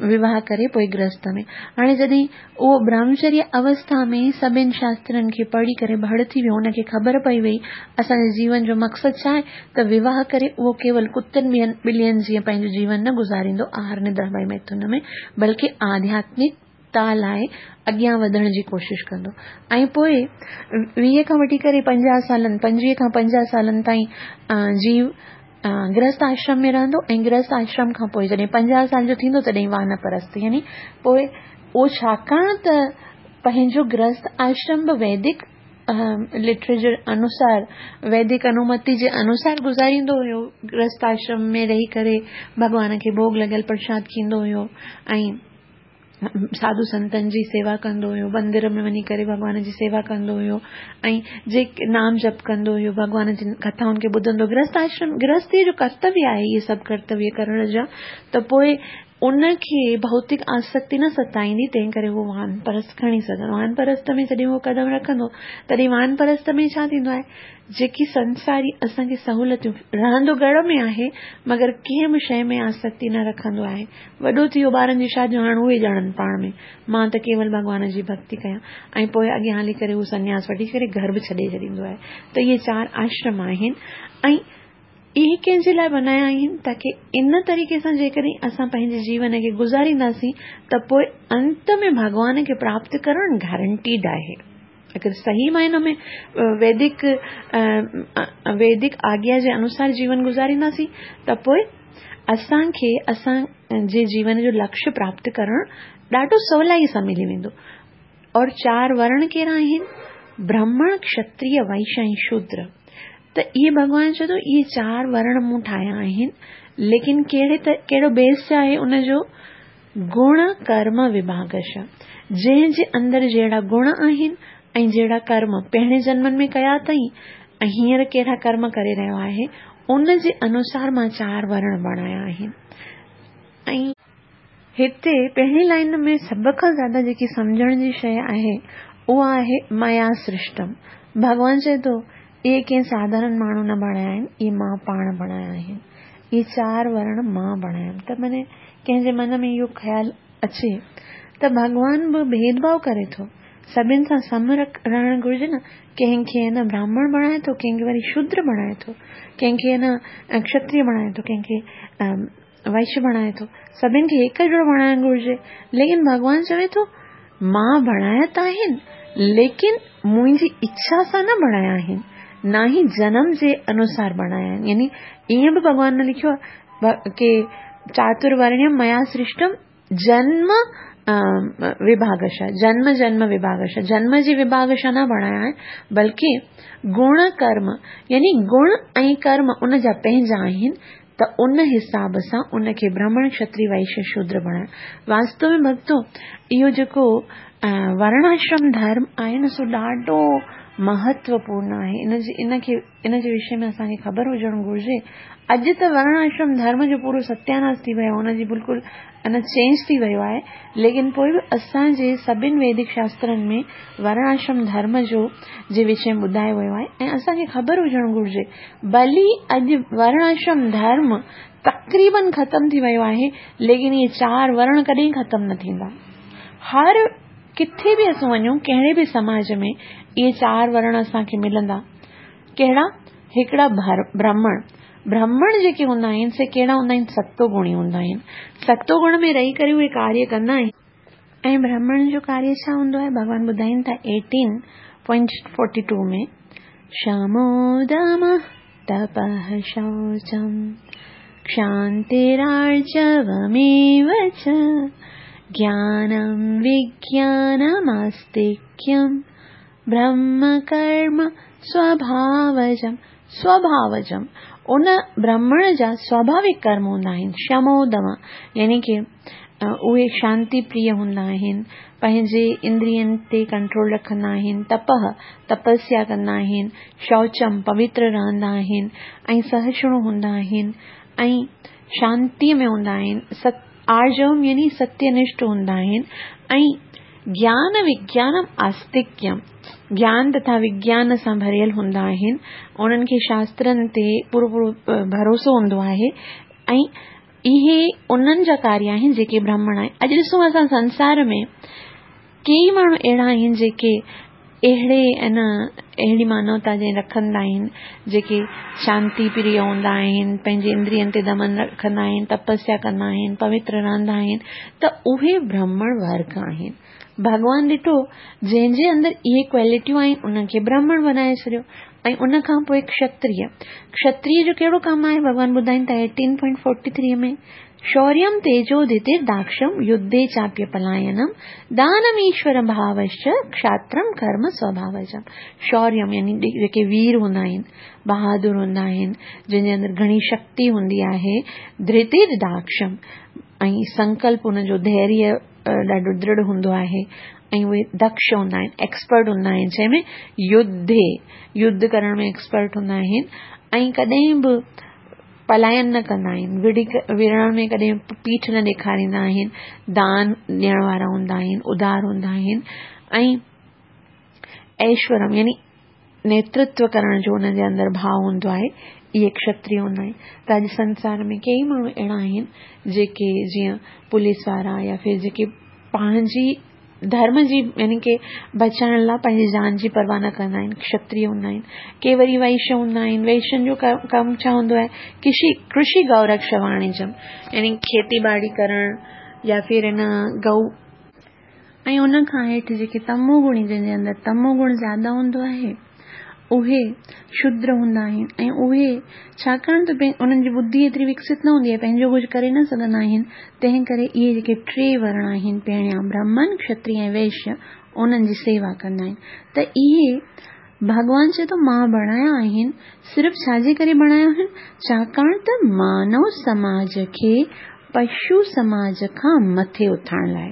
وواهه ڪري پوء گرهست ۾ هاڻي جڏهن اهو برهمچريه اوسٿا ۾ سڀن شاسترن کي پڙهي ڪري ڀڙ ٿي ويو ان کي خبر پئي وئي اسان جي جيون جو مقصد ڇا آهي ته وواهه ڪري اهو ڪيول ڪتن ٻين ٻلين جيئن پنهنجو جيون نه گذاريندو آهار ندرا ڀئي ميٿن ۾ بلڪه آڌياتمڪ تا لاء اڳيان وڌڻ جي ڪوشش ڪندو ۽ پوء 20 کان وٺي ڪري 50 سالن 25 کان 50 سالن تائين جيو گرهست آشرم ۾ رهندو ۽ گرهست آشرم کان پوء جڏهن 50 سال جو ٿيندو تڏهن وانپرست يعني پوء اهو ڇاڪاڻ ته پنهنجو گرهست آشرم به ويدڪ لٽريچر انوسار ويدڪ انومتي جي انوسار گذاريندو هيو گرهست آشرم ۾ رهي ڪري ڀڳوان کي ڀوڳ لڳل پرشاد کيندو هيو ۽ ساڌو سنتن جي سيوا ڪندو هيو مندر ۾ وڃي ڪري ڀڳوان جي سيوا ڪندو هيو ۽ جيڪي نام جپ ڪندو هيو ڀڳوان جي ڪٿائن کي ٻڌندو گرهست آشرم گرهستي جو ڪرتويه آهي اهي سڀ ڪرتويه ڪرڻ جا ته پوء ان کي ڀوتڪ آسڪتي نه ستائيندي تنهن ڪري هو وان پرست کڻي سگهندو وان پرست ۾ جڏهن هو قدم رکندو تڏهن وان پرست ۾ ڇا ٿيندو آهي جيڪي سنساري اسان کي سهولتيون رهندو گهر ۾ آهي مگر ڪنهن به شيء ۾ آسڪتي نه رکندو آهي. وڏو ٿي ويو ٻارن جي شاديون هاڻ اهي ڄاڻن پاڻ ۾ مان ته ڪيول ڀڳوان جي ڀڳتي ڪيان ۽ پوء اڳيان هلي ڪري هو سنياس وٺي ڪري گهر به ڇڏي ڇڏيندو آهي ته اهي چار آشرم آهن ۽ اهي ڪنهن جي لاء بنايا آهن تاڪي ان طريقي سان جيڪڏهن اسان پنهنجي جيون کي گذارينداسين ته پوء انت ۾ ڀڳوان کي پراپت ڪرڻ گارنٽيڊ آهي. اگر صحيح معنيٰ ۾ ويدڪ ويدڪ آگيا جي انوسار جيون گذارينداسين ته پوء اسان کي اسان جي جيون جو لڪشيه پراپت ڪرڻ ڏاڍو سولائي سان ملي ويندو اور چار ورڻ ڪهڙا آهن برهمڻ کشتريه وئش ۽ شودر ته اهي ڀڳوان چئي ٿو اهي چار ورڻ مون ٺاهيا آهن ليڪن ڪهڙي ته ڪهڙو بيس آهي ان جو گڻ ڪرم وڀاڳش، جنهن جي اندر جهڙا گڻ آهن ۽ جهڙا ڪرم پهرين جنمن ۾ ڪيا اٿئي ۽ هينئر ڪهڙا ڪرم ڪري رهيو آهي، ان جي انوسار مان چار ورڻ بڻايا آهن. ۽. هتي پهرين لائين ۾ سڀ کان زياده جيڪي سمجهڻ جي شيء آهي، اها آهي ميا سرشٽم. ڀڳوان چئي ٿو، اهي ڪنهن ساڌارڻ ماڻهو نه بڻايا آهن، اهي مان پاڻ بڻايا آهن. اهي چار ورڻ مان بڻايم ته معني ڪنهن جي من ۾ اهو خيال اچي ته ڀڳوان به ڀيد ڀاء ڪري ٿو، سڀن سان سم رهڻ گهرجي نه، ڪنهن کي نه براهمڻ بڻائي ٿو، ڪنهن کي وري شودر بڻائي ٿو، ڪنهن کي نه کشتريه بڻائي ٿو، ڪنهن کي وئش بڻائي ٿو، سڀن کي هڪ جهڙو بڻائڻ گهرجي، ليڪن ڀڳوان چوي ٿو مان بڻايا ته آهن، ليڪن منهنجي اڇا سان نه بڻايا آهن، نه ئي جنم جي انوسار بڻايا آهن. يعني ائين به ڀڳوان نه لکيو آهي ڪي چاترورڻيم ميا سرشٽم جنم وڀاگشا، جنم جنم وڀاگشا، جنم جي وڀاگشا نه بڻايا آهن، بلڪه گڻ ڪرم يعني گڻ ۽ ڪرم ان جا پنهنجا آهن، ته ان حساب سان ان کي برهمڻ، کشتري، وئشيه، شودر بڻايو. واستو ۾ ڀڳتو اهو جيڪو ورڻاشرم ڌرم آهي نه سو ڏاڍو مهتوپورڻ آهي. ان جي ان کي ان جي وشي ۾ اسان کي خبر هجڻ گهرجي. اڄ ته ورڻاشرم ڌرم جو پورو ستياناس ٿي ويو آهي، ان جي بلڪل ان چينج ٿي ويو آهي، ليڪن پوء به اسان جي سڀن ويدڪ شاسترن ۾ ورڻاشرم ڌرم جو جي وشي ۾ ٻڌايو ويو آهي ۽ اسان کي خبر هجڻ گهرجي. ڀلي اڄ ورڻاشرم ڌرم تقريبن ختم ٿي ويو آهي، ليڪن اهي چار ورڻ ڪڏهن ختم نه ٿيندا. هر ڪٿي به اسون وڃون، ڪهڙي به سماج ۾ اهي چار ورڻ اسان کي ملندا. ڪهڙا؟ هڪڙا برهمڻ. برهمڻ جيڪي هوندا آهن سي ڪهڙا هوندا آهن؟ ستو گڻي هوندا آهن. ستو گڻ ۾ رهي ڪري اهي ڪاريه ڪندا آهن. ۽ برهمڻ جو ڪاريه ڇا هوندو آهي؟ ڀڳوان ٻڌائين ٿا 18.42 ۾، شمو دمه تپه شوچم ڪشانتيرارجوميو چ گيانم وگيانماستڪيم برهم ڪرم سوڀاوجم، سوڀاوجم، ان برهمڻ جا سوڀاوڪ ڪرم هوندا آهن، شمو دم، يعني ڪي اهي شانتي پريه هوندا آهن، پنهنجي اندرين تي ڪنٽرول رکندا آهن، تپه، تپسيا ڪندا آهن، شوچم، پوتر رهندا آهن ۽ سهشڻو هوندا آهن ۽ شانتي ۾ هوندا آهن، ست آرجوم يعني ستيه نشٺ هوندا آهن ۽ گيان وگيانم آستڪيم، گيان تٿا وگيان سان ڀريل هوندا آهن، انهن کي شاسترن تي پورو پورو ڀروسو هوندو آهي ۽ اهي انهن جا ڪاريه آهن جيڪي برهمڻ آهن. اڄ ڏسون اسان سنسار ۾ ڪيئي ماڻهو اهڙا آهن جيڪي اهڙي ان اهڙي مانوتا جي رکندا آهن جيڪي شانتي پريه هوندا آهن، پنهنجي اندرين تي دمن رکندا آهن، تپسيا ڪندا آهن، پوتر رهندا آهن ته اهي برهمڻ ورگ آهن. ڀڳوان ڏٺو جنهن جي اندر اهي ڪوالٽيون آهن ان کي برهمڻ بنائي ڇڏيو ۽ ان کان پوء کشتريه. کشتريه جو ڪهڙو ڪم آهي ڀڳوان ٻڌائين ٿا 18.43 ۾ شوريم تيجو ڌتير داڪشم يڌي چاپي پلاينم دانم ايشور ڀاوشچ کشاترم ڪرم سوڀاوجم. شوريم يعني جيڪي وير هوندا آهن، بهادر هوندا آهن، جن جي اندر گهڻي شڪتي هوندي آهي، ڌتير داڪشم ۽ سنڪلپ ان جو ڌيريه ڏاڍو درڙ هوندو آهي ۽ اهي دڪش هوندا آهن، ايڪسپرٽ هوندا آهن، جنهن ۾ يڌي، يڌ ڪرڻ ۾ ايڪسپرٽ هوندا آهن ۽ ڪڏهن به پلاين نه ڪندا آهن، وڙهڻ ۾ ڪڏهن پيٺ نه ڏيکاريندا آهن، دان ڏيڻ وارا هوندا آهن، ادار هوندا آهن ۽ ايشورم يعني نيترتو ڪرڻ جو انهن جي اندر ڀاء هوندو آهي، اهي کشتري هوندا آهن. ته اڄ سنسار ۾ ڪيئي ماڻهو اهڙا آهن جيڪي جيئن پوليس وارا يا ڦر جيڪي پنهنجي ڌرم جي يعني ڪي بچائڻ لاء پنهنجي جان جي پرواهه نه ڪندا آهن، کشتري هوندا آهن. ڪي وري وئشيه هوندا آهن، وئشين جو ڪم ڇا هوندو آهي؟ ڪشي، ڪرشي گئو رڪش واڻيجم يعني کيتي ٻاڙي ڪرڻ يا ڦر ان گئو ۽ ان کان هيٺ جيڪي تمو گڻي جن جي اندر تمو گڻ زياده هوندو آهي اهي شودر هوندا آهن ۽ اهي ڇاڪاڻ ته انهن جي ٻڌي ايتري وڪست نه هوندي آهي پنهنجو ڪجهه ڪري نه سگهندا آهن تنهن ڪري اهي جيڪي ٽي ورڻ آهن پهريان برهمن کشتري ۽ وئشيه انهن جي سيوا ڪندا آهن ته اهي ڀڳوان چئي ٿو مان بڻايا آهن صرف ڇا جي ڪري بڻايا آهن ڇاڪاڻ ته مانو سماج کي پشو سماج کان مٿي اٿارڻ لاء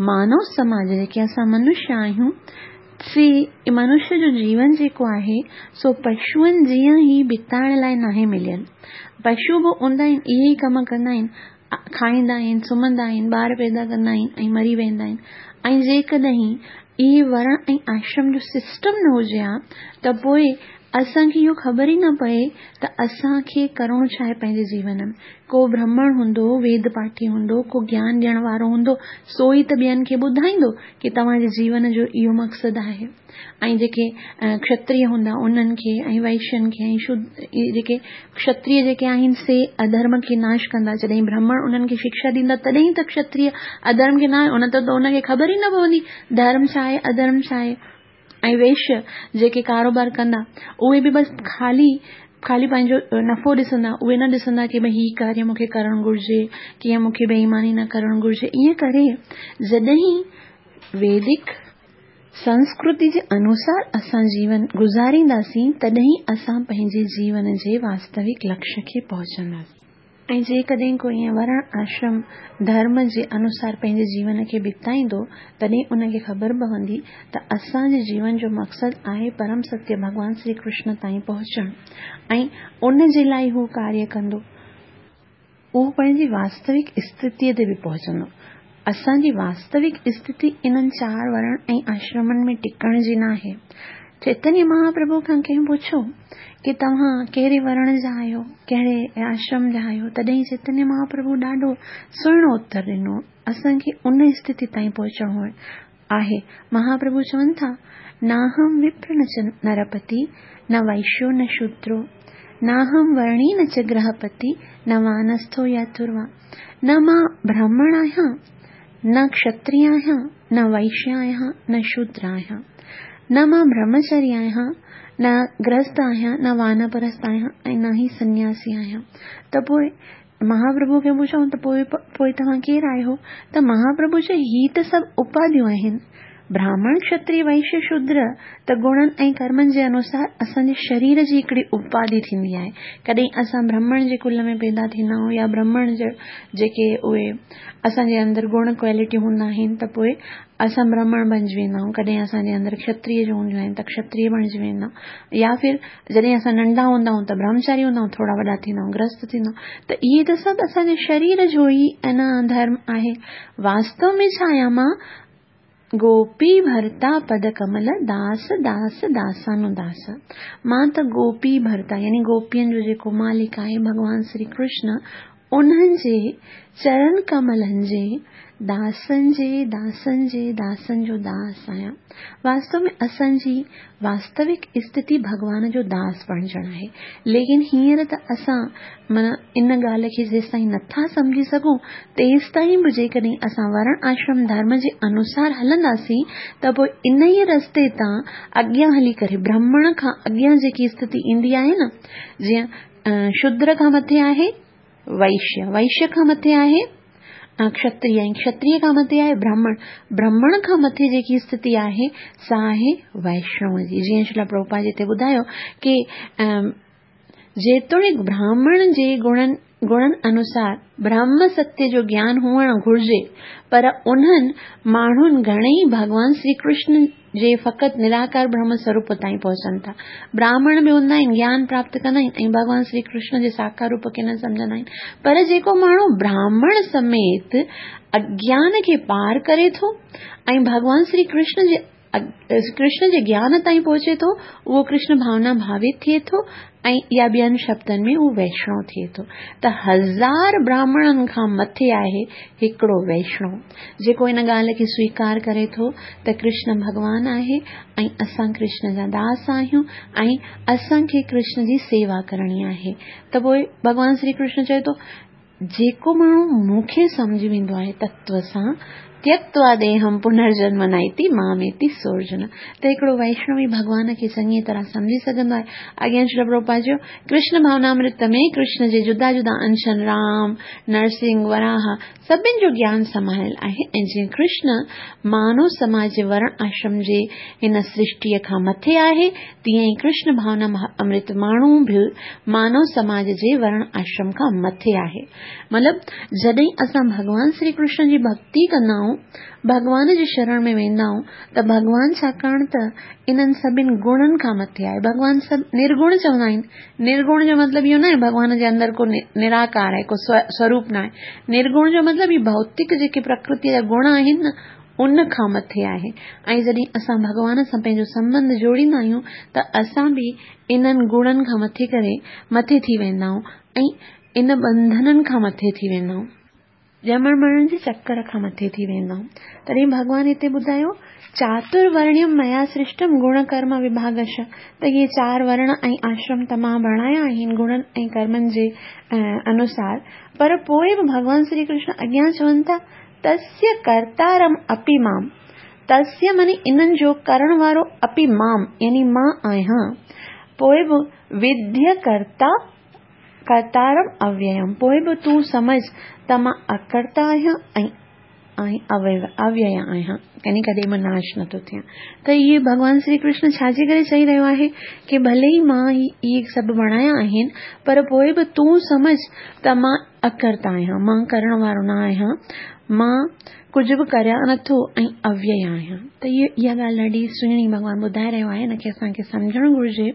مانو سماج جيڪي اسان منشيه آهيون سي منشيه جو جيون جيڪو آهي سو پشوئن جيان ئي بتائڻ لاء ناهي مليل. پشو به هوندا آهن اهي ئي ڪم ڪندا آهن، کائيندا آهن، سمهندا آهن، ٻار پيدا ڪندا آهن ۽ مري ويندا آهن ۽ جيڪڏهن اهي ورڻ ۽ آشرم جو سسٽم نه هجي ها ته پوء اسان کي اهو خبر ئي نه پئي ته اسان کي ڪرڻو ڇا آهي پنهنجي جيون ۾. ڪو برهمڻ هوندو، ويد پاٺي هوندو، ڪو گيان ڏيڻ وارو هوندو، سو ئي ته ٻين کي ٻڌائيندو ڪي توهان جي جيون جو اهو مقصد آهي. ۽ جيڪي کشتريه هوندا انهن کي ۽ وئشين کي ۽ شود جيڪي کشتريه جيڪي آهن سي اڌرم کي ناش ڪندا. جڏهن برهمڻ انهن کي شڪشا ڏيندا تڏهن ته کشتريه اڌرم کي ناش نه ته ان کي خبر ئي نه پوندي ڌرم ڇا آهي اڌرم ڇا آهي. ۽ وئشيه جيڪي ڪاروبار ڪندا اهي به بس خالي خالي پنهنجو نفعو ڏسندا اهي نه ڏسندا ڪي ڀئي هي ڪاريه مون کي ڪرڻ گهرجي ڪيئن مون کي بي ايماني نه ڪرڻ گهرجي ائين ڪري جڏهن ويدڪ سنسڪرتي جي انوسار اسان جيون گذارينداسين تڏهن اسان پنهنجي جيون جي واستوڪ لڪشيه کي پهچنداسين. ۽ جيڪڏهن ڪو ائين ورڻ آشرم ڌرم جي انوسار پنهنجي جيون کي بتائيندو، تڏهن ان کي خبر پوندي ته اسان جي جيون جو مقصد آهي پرم ستيه ڀڳوان شري ڪرشن تائين پهچڻ ۽ ان جي لاء هو ڪاريه ڪندو. اهو پنهنجي واستوڪ استٿيء تي به پهچندو. اسان جي واستوڪ استٿي انهن چار ورڻ ۽ آشرمن ۾ ٽڪڻ جي ناهي. چيتنيه مهاپرڀو کان ڪنهن پڇيو ڪي توهان ڪهڙي ورڻ جا آهيو، ڪهڙي آشرم جا آهيو؟ تڏهن چيتنيه مهاپرڀو ڏاڍو سهڻو اتر ڏنو، اسان کي ان استٿي تائين پهچڻو آهي. مهاپرڀو چون ٿا، ناهم وپر نه چ نرپتي، نه وئشيو نه شودرو، ناهم ورڻي نه چ گرهپتي، نه وانسٿو يا ٿروا. نه مان برهمڻ آهيان، نه کشتري آهيان، نه وئشيه آهيان، نه شودر آهيان. نه مان برهمچاري آهيان، نه گرهست آهيان، نه وانپرست آهيان ۽ نه ئي سنياسي آهيان. ته پوء مهاپرڀو کي پڇيائون ته پوء پوء توهان ڪير آهيو؟ ته مهاپرڀو چيو هي ته سڀ اپاڌيون آهن. براهمڻ، کشتري، وئشيه، شودر ته گڻن ۽ ڪرمن جي انوسار اسان جي شرير جي هڪڙي اپاڌي ٿيندي آهي. ڪڏهن اسان برهمڻ جي ڪل ۾ پيدا ٿيندا آهيون يا برهمڻ جا جيڪي اهي اسان جي اندر گڻ ڪوالٽي هوندا آهن ته پوء اسان برهمڻ بنجي ويندا آهيون ڪڏهن اسان جي اندر کشتريه جون هونديون آهن ته کشتريه بڻجي ويندا آهيون يا ڦر جڏهن اسان ننڍا هوندا آهيون ته برهمچاري هوندا آهيون ٿورا وڏا ٿيندا آهيون گرهست ٿيندا آهيون ته اهي ته سڀ اسان جي شرير جو ئي انا ڌرم آهي واستو ۾ ڇا آهيان مان گوپي ڀرتا پد ڪمل داس داس داسانو داس مان ته گوپي ڀرتا يعني گوپين جو جيڪو مالڪ آهي ڀڳوان شري ڪرشن انهن جي چرن ڪملن جي داسن جي داسن جي داسن جو داس آهيان. واستو ۾ اسان جي واستوڪ استٿي ڀڳوان جو داس بڻجڻ آهي. ليڪن هينئر ته اسان معنيٰ ان ڳالهه کي جيستائين نٿا سمجهي سگهون تيستائين به جيڪڏهن اسان ورڻ آشرم ڌرم جي انوسار هلنداسين ته پوء انهيء رستي تان اڳيان هلي ڪري برهمڻ کان اڳيان جيڪي استٿي ايندي آهي نه جيئن شودر کان مٿي آهي وئشيه، وئشيه کان مٿي آهي کشتريه ۽ کشتريه کان مٿي آهي برهمڻ، برهمڻ کان مٿي جيڪي استٿي آهي سا آهي وئشنو جي. جيئن شريلا پرڀوپاد هتي ٻڌايو ڪي جيتوڻيڪ برهمڻ جي گڻن گڻن انوسار برهم ستيه جو گيان هئڻ گهرجي پر انهن ماڻهن گهڻئي ڀڳوان شري ڪرشن جي فقط نراڪار برهم سروپ تائين پهچن ٿا. براهمڻ به هوندا آهن، گيان پراپت ڪندا آهن ۽ ڀڳوان شري ڪرشن جي ساڪار روپ کي نه سمجهندا آهن. پر جيڪو ماڻهو براهمڻ سميت اگيان کي پار ڪري ٿو ۽ ڀڳوان شري ڪرشن جي ڪرشن جي گيان تائين پهچي ٿو، اهو ڪرشن ڀاونا ڀاوت ٿئي ٿو ۽ يا ٻين شبدن ۾ هو ويشڻو ٿئي ٿو ته هزار براهمڻن کان مٿي آهي هڪڙو ويشڻو جيڪو ان ڳالهه کي سويڪار ڪري ٿو ته ڪرشن ڀڳوان آهي ۽ اسان ڪرشن جا داس آهيون ۽ اسان کي ڪرشن جي سيوا ڪرڻي آهي ته پوء ڀڳوان شري ڪرشن چئي ٿو جيڪو ماڻهو مون کي سمجهي ويندو آهي تتو سان، تيڪتوا ديهم پنرجنم نائتي ماميتي سورجن ته هڪڙو ويشنوي ڀڳوان کي چڱيء طرح سمجهي سگهندو آهي. اڳيان شريل پرڀوپاد چيو، ڪرشن ڀاونامرت ۾ ڪرشن جي جدا جدا انشن رام، نرسنگ، وراهه سڀن جو گيان سمايل آهي ۽ جيئن ڪرشن مانو سماج جي ورڻ آشرم جي هن سرشٽيء کان مٿي آهي، تيئن ئي ڪرشن ڀاونا امرت ماڻهو به مانو سماج جي ورڻ آشرم کان مٿي آهي. مطلب جڏهن اسان ڀڳوان شري ڪرشن جي ڀڳتي ڪندا آهيون، ڀڳوان جي شرڻ ۾ ويندا آهيون ته ڀڳوان ڇاڪاڻ ته انهن سڀن گڻن کان مٿي آهي. ڀڳوان سڀ نرگڻ چوندا آهن. نرگڻ جو مطلب اهو ناهي ڀڳوان جي اندر ڪو نراڪار آهي، ڪو سوروپ ناهي. نرگڻ جو مطلب هي ڀوتڪ جيڪي پرڪرتيء جا گڻ آهن نه، ان کان مٿي آهي ۽ جڏهن اسان ڀڳوان سان پنهنجو سنٻنڌ جوڙيندا آهيون ته اسان به انهن گڻن کان مٿي ڪري مٿي ٿي ويندا آهيون ۽ ان ٻنڌنن کان مٿي ٿي ويندا آهيون. ڄمڻ مرڻ جي چڪر کان مٿي ٿي ويندا آهيون. تڏهن ڀڳوان هتي ٻڌايو، چاترورڻيم ميا سرشٽم گڻ ڪرم وڀاگش ته اهي چار ورڻ ۽ آشرم ته مان بڻايا آهن گڻن ۽ ڪرمن جي انوسار پر پوء به ڀڳوان سري ڪرشن اڳيان چون ٿا تسيه ڪرتارم اپي مام، تسيه معني انهن جو ڪرڻ وارو اپي مام يعني مان آهيان، پوء به وديه ڪرتا ڪرتارم اويم پوء به تون سمجهه ته مان اڪرتا آهيان ۽ اويئي آهيان يعني ڪڏهن به ناش نٿو ٿيان ته اهي ڀڳوان شري ڪرشن ڇا جي ڪري چئي رهيو آهي ڪي ڀلي ئي مان اهي سڀ بڻايا آهن پر پوء به تون سمجهه ته مان اڪرتا آهيان، مان ڪرڻ وارو نه آهيان، مان ڪجهه به ڪريان نٿو ۽ اويئي آهيان. ته اها ڳالهه ڏاڍي سهڻي ڀڳوان ٻڌائي رهيو آهي، ان کي اسان کي سمجهڻ گهرجي.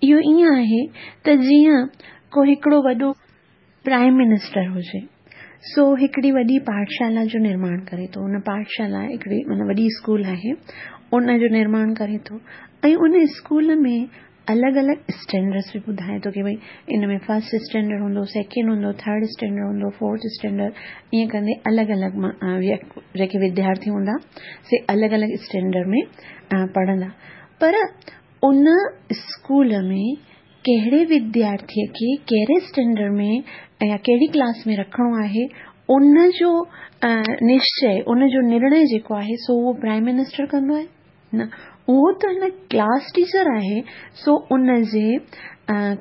اهو ائين آهي ته جيئن ڪو هڪڙو وڏو پرائيم منسٽر هجي، سو هڪڙي وڏي پاٺشالا جو نرماڻ ڪري ٿو، ان پاٺشالا هڪڙي معنيٰ وڏي اسڪول آهي، ان جو نرماڻ ڪري ٿو ۽ ان اسڪول ۾ الڳ الڳ اسٽينڊرس به ٻڌائي ٿو ڪي ڀئي ان ۾ فرسٽ اسٽينڊرڊ هوندو سيڪنڊ هوندو ٿرڊ اسٽينڊرڊ هوندو فورٿ اسٽينڊرڊ ائين ڪندي الڳ الڳ جيڪي وديارٿي هوندا سي الڳ الڳ اسٽينڊرڊ ۾ پڙهندا پر ان اسڪول ۾ ڪهڙي وديارٿي کي ڪهڙي اسٽينڊرڊ ۾ يا ڪهڙي ڪلاس ۾ رکڻو آهي ان جو نشچي ان جو نرڻي جيڪو آهي سو اهو پرائيم منسٽر ڪندو آهي نه اهو ته هن ڪلاس ٽيچر آهي سو ان جي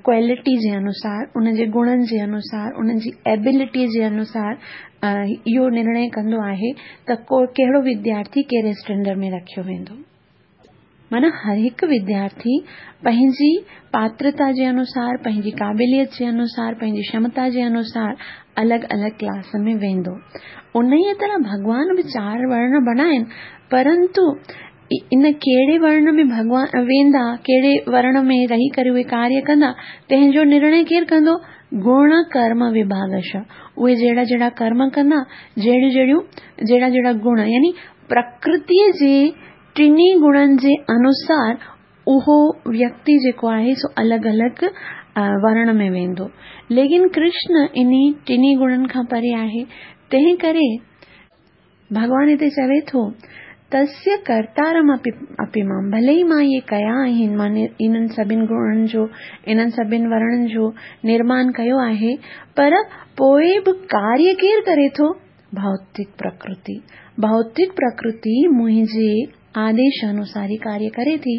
ڪوالٽي جي انوسار ان جي گڻن جي انوسار ان جي ايبلٽي جي انوسار اهو نرڻي ڪندو آهي ته ڪو ڪهڙو وديارٿي ڪهڙي اسٽينڊرڊ ۾ رکيو ويندو. معنيٰ هر هڪ وديارٿي پنهنجي پاترتا جي انوسار پنهنجي قابليت جي انوسار پنهنجي ڪشمتا جي انوسار الڳ الڳ ڪلاس ۾ ويندو. انهيء طرح ڀڳوان به چار ورڻ بڻايا آهن پرنتو ان ڪهڙي ورڻ ۾ ڀڳوان ويندا، ڪهڙي ورڻ ۾ رهي ڪري اهي ڪاريه ڪندا، تنهن جو نرڻي ڪير ڪندو؟ گڻ ڪرم وڀاگش. اهي جهڙا جهڙا ڪرم ڪندا، جهڙيون جهڙيون، جهڙا جهڙا گڻ يعني پرڪرتيء جي ٽنهي گڻن جي انوسار اهو ويڪتي جيڪو آهي سو الڳ الڳ ورڻ ۾ ويندو. ليڪن ڪرشن انهي ٽنهي گڻن کان پري آهي، تنهن ڪري ڀڳوان هتي چوي ٿو، تسيه ڪرتارم اپي مام، ڀلي ئي مان اهي ڪيا آهن، مان انهن سڀن گڻن جو، انهن سڀن ورڻن جو نرمان ڪيو آهي، پر پوء به ڪاريه ڪير ڪري ٿو؟ ڀوتڪ پرڪرتي. ڀوتڪ پرڪرتي منهنجي آديش انوسار ئي ڪاريه ڪري ٿي،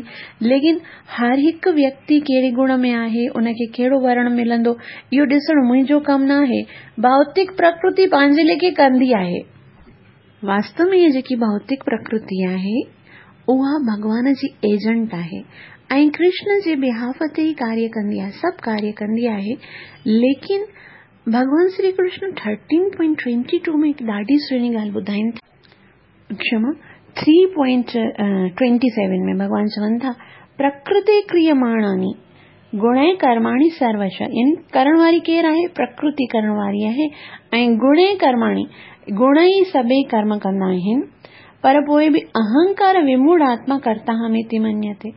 ليڪن هر هڪ ويڪتي ڪهڙي گڻ ۾ آهي، ان کي ڪهڙو ورڻ ملندو، اهو ڏسڻ منهنجو ڪم ناهي. ڀوتڪ پرڪرتي پنهنجي ليکي ڪندي آهي. واستو ۾ هيء جيڪي ڀوتڪ پرڪرتي آهي، اها ڀڳوان جي ايجنٽ آهي ۽ ڪرشن جي بيهاف تي ئي ڪاريه ڪندي آهي، سڀ ڪاريه ڪندي آهي، ليڪن ڀڳوان Shri Krishna thirteen point twenty two ۾ هڪ ڏاڍي سهڻي ڳالهه ٻڌائين ٿا. ڪشما، ٿري پوائنٽ ٽوئنٽي سيون ۾ ڀڳوان چون ٿا، پرڪرتي ڪريماڻاني گڻي ڪرماڻي سروش يعني ڪرڻ واري ڪير آهي؟ پرڪرتي ڪرڻ واري آهي ۽ گڻي ڪرماڻي گڻ ئي سڀئي ڪرم ڪندا آهن پر پوء به اهنڪار وموڙ آتما ڪرتاهميتي منيتي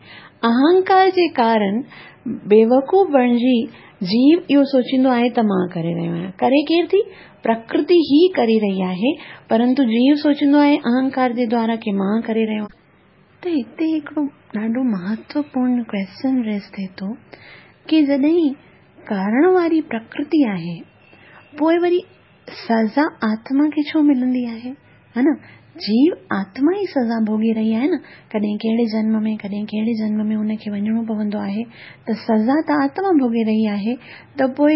اهنڪار جي ڪارڻ بيوقوف بڻجي جيو اهو سوچيندو آهي ته مان ڪري رهيو آهيان. ڪري ڪير ٿي؟ پرڪرتي ئي ڪري رهي آهي، پرنتو جيو سوچيندو آهي اهنڪار جي دوارا ڪي مان ڪري رهيو آهيان. ته هتي هڪڙو ڏاڍو مهتوپورن ڪويسچن ريز ٿئي ٿو ڪي جڏهن ڪرڻ واري پرڪرتي آهي پوء وري سزا آتما کي ڇو ملندي آهي؟ ها نه جيو آتما ئي سزا ڀوڳي رهي آهي نه ڪڏهن ڪهڙي جنم ۾ ڪڏهن ڪهڙي جنم ۾ ان کي وڃڻو پوندو آهي ته سزا ته آتما ڀوڳي رهي آهي ته پوء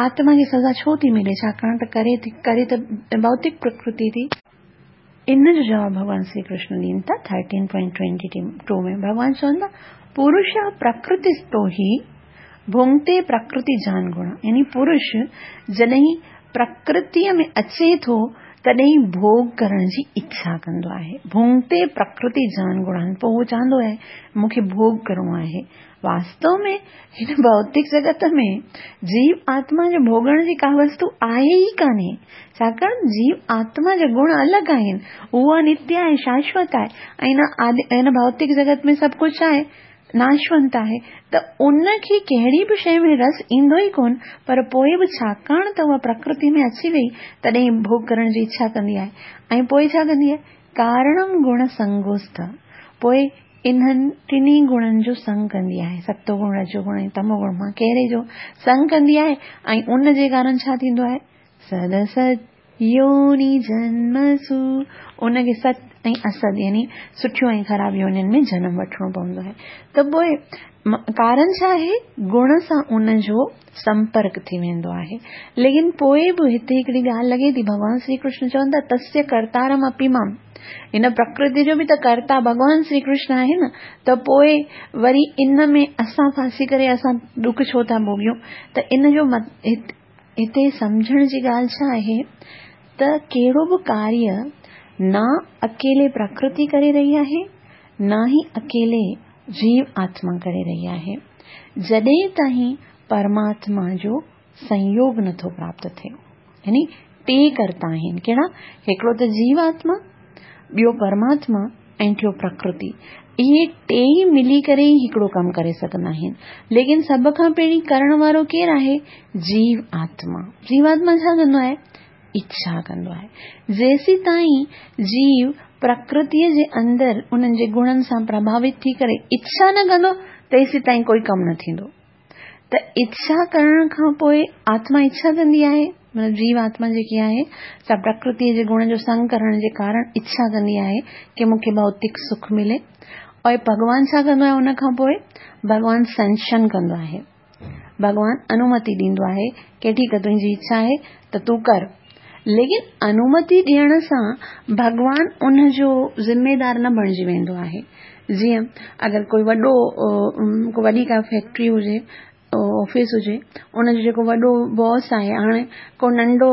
آتما کي سزا ڇو ٿي ملي ڇاڪاڻ ته ڪري ٿي ڪري ته ڀوتڪ پرڪرتي ٿي. ان جو جواب ڀڳوان شري ڪرشن ڏين ٿا ٿرٽين پوائنٽ ٽوئنٽي ٽو ۾ ڀڳوان چون ٿا پرش پرڪرتستو هي ڀونگتي پرڪرتي جان گڻ يعني پرش جڏهن پرڪرتيء ۾ اچي ٿو تڏهن ڀوڳ ڪرڻ جي اڇا ڪندو آهي. ڀونگتي پرڪرتي جان گڻان، پوء هو چوندو آهي مون کي ڀوڳ ڪرڻو آهي. واستو ۾ هن ڀوتڪ جڳت ۾ جيو آتما جي ڀوڳڻ جي ڪا وستو آهي ئي ڪانهي، ڇاڪاڻ جيو آتما جا گڻ الڳ آهن، اها نتيه آهي، شاشوت آهي ۽ هن ڀوتڪ جڳت ۾ سڀ ڪجهه آهي، ناشونت آهي ته ان کي ڪهڙي به شيء ۾ رس ايندو ئي ڪونه، پر پوء به ڇاڪاڻ ته اها پرڪرتي ۾ اچي وئي، تڏهن ڀوڳ ڪرڻ جي اڇا ڪندي آهي ۽ پوء ڇا ڪندي آهي؟ ڪارڻم گڻ سنگوست، پوء انهن ٽنهي گڻن جو سنگ ڪندي آهي، ستو گڻ، رجو گڻ ۽ تمو گڻ مان ڪهڙي جو سنگ ڪندي آهي ۽ ان جي ڪارڻ ڇا ٿيندو آهي؟ سد اسد يوني جنمسو، ان کي ست ۽ اسد يعني سٺيون ۽ خراب يونين ۾ جنم وٺڻو پوندو آهي. ته پوء ڪارڻ ڇا آهي؟ گڻ سان ان جو سمپرڪ ٿي ويندو آهي. ليڪن پوء به هتي هڪڙي ڳالهه لڳي ٿي، ڀڳوان شري ڪرشن چون ٿا تسيه ڪرتارم اپي مام، هن پرڪرتي جو به ته ڪرتا ڀڳوان شري ڪرشن آهي نه، ته پوء وري ان ۾ اسان ڦاسي ڪري اسان ڏک ڇو ٿا ڀوڳيون؟ ته ان جو هتي سمجهڻ جي ڳالهه ڇا آهي ته ڪهڙو به ڪاريه نه اڪيلي پرڪرتي ڪري رهي آهي نه ئي اڪيلي جيو آتما ڪري رهي آهي. جڏهن تائين پرماتما جو سنيوگ نٿو پراپت ٿئي. يعني ٽي ڪرتا آهن، ڪهڙا؟ هڪڙو ته جيو آتما، ٻيو پرماتما ۽ ٽيو پرڪرتي. اهي ٽيئي ملي ڪري ئي هڪڙو ڪم ڪري سگهندا آهن. ليڪن سڀ کان پهرين ڪرڻ وارو ڪير آهي؟ جيو آتما. جيو آتما ڇا ڪندو آهي؟ اڇا ڪندو آهي. جيسيتائين جيو پرڪرتيء جي اندر انهن جي گڻن سان پرڀاوت ٿي ڪري اڇا نه ڪندو، تيسيتائين ڪوئي ڪم نه ٿيندو. ته اڇا ڪرڻ کان پوء آتما اڇا ڪندي آهي، مطلب جيو آتما جيڪي آهي سا پرڪرتيء جي گڻ جو سنگ ڪرڻ جي ڪارڻ اڇا ڪندي آهي ڪي مون کي ڀوتڪ سک ملي. ۽ ڀڳوان ڇا ڪندو آهي ان کان پوء؟ ڀڳوان سينڪشن ڪندو آهي. ڀڳوان انومتي ڏيندو آهي ڪي ٺيڪ آهي تنهنجي اڇا آهي ته تون ڪر. ليڪن انومتي ڏيڻ سان ڀڳوان ان جو ذميدار نه بڻجي ويندو آهي. جيئن اگر ڪوئي وڏو ڪو وڏي ڪا فيڪٽري هجي آفيس هجي ان جو جيڪو وڏو باس آهي هاڻي ڪو ننڍو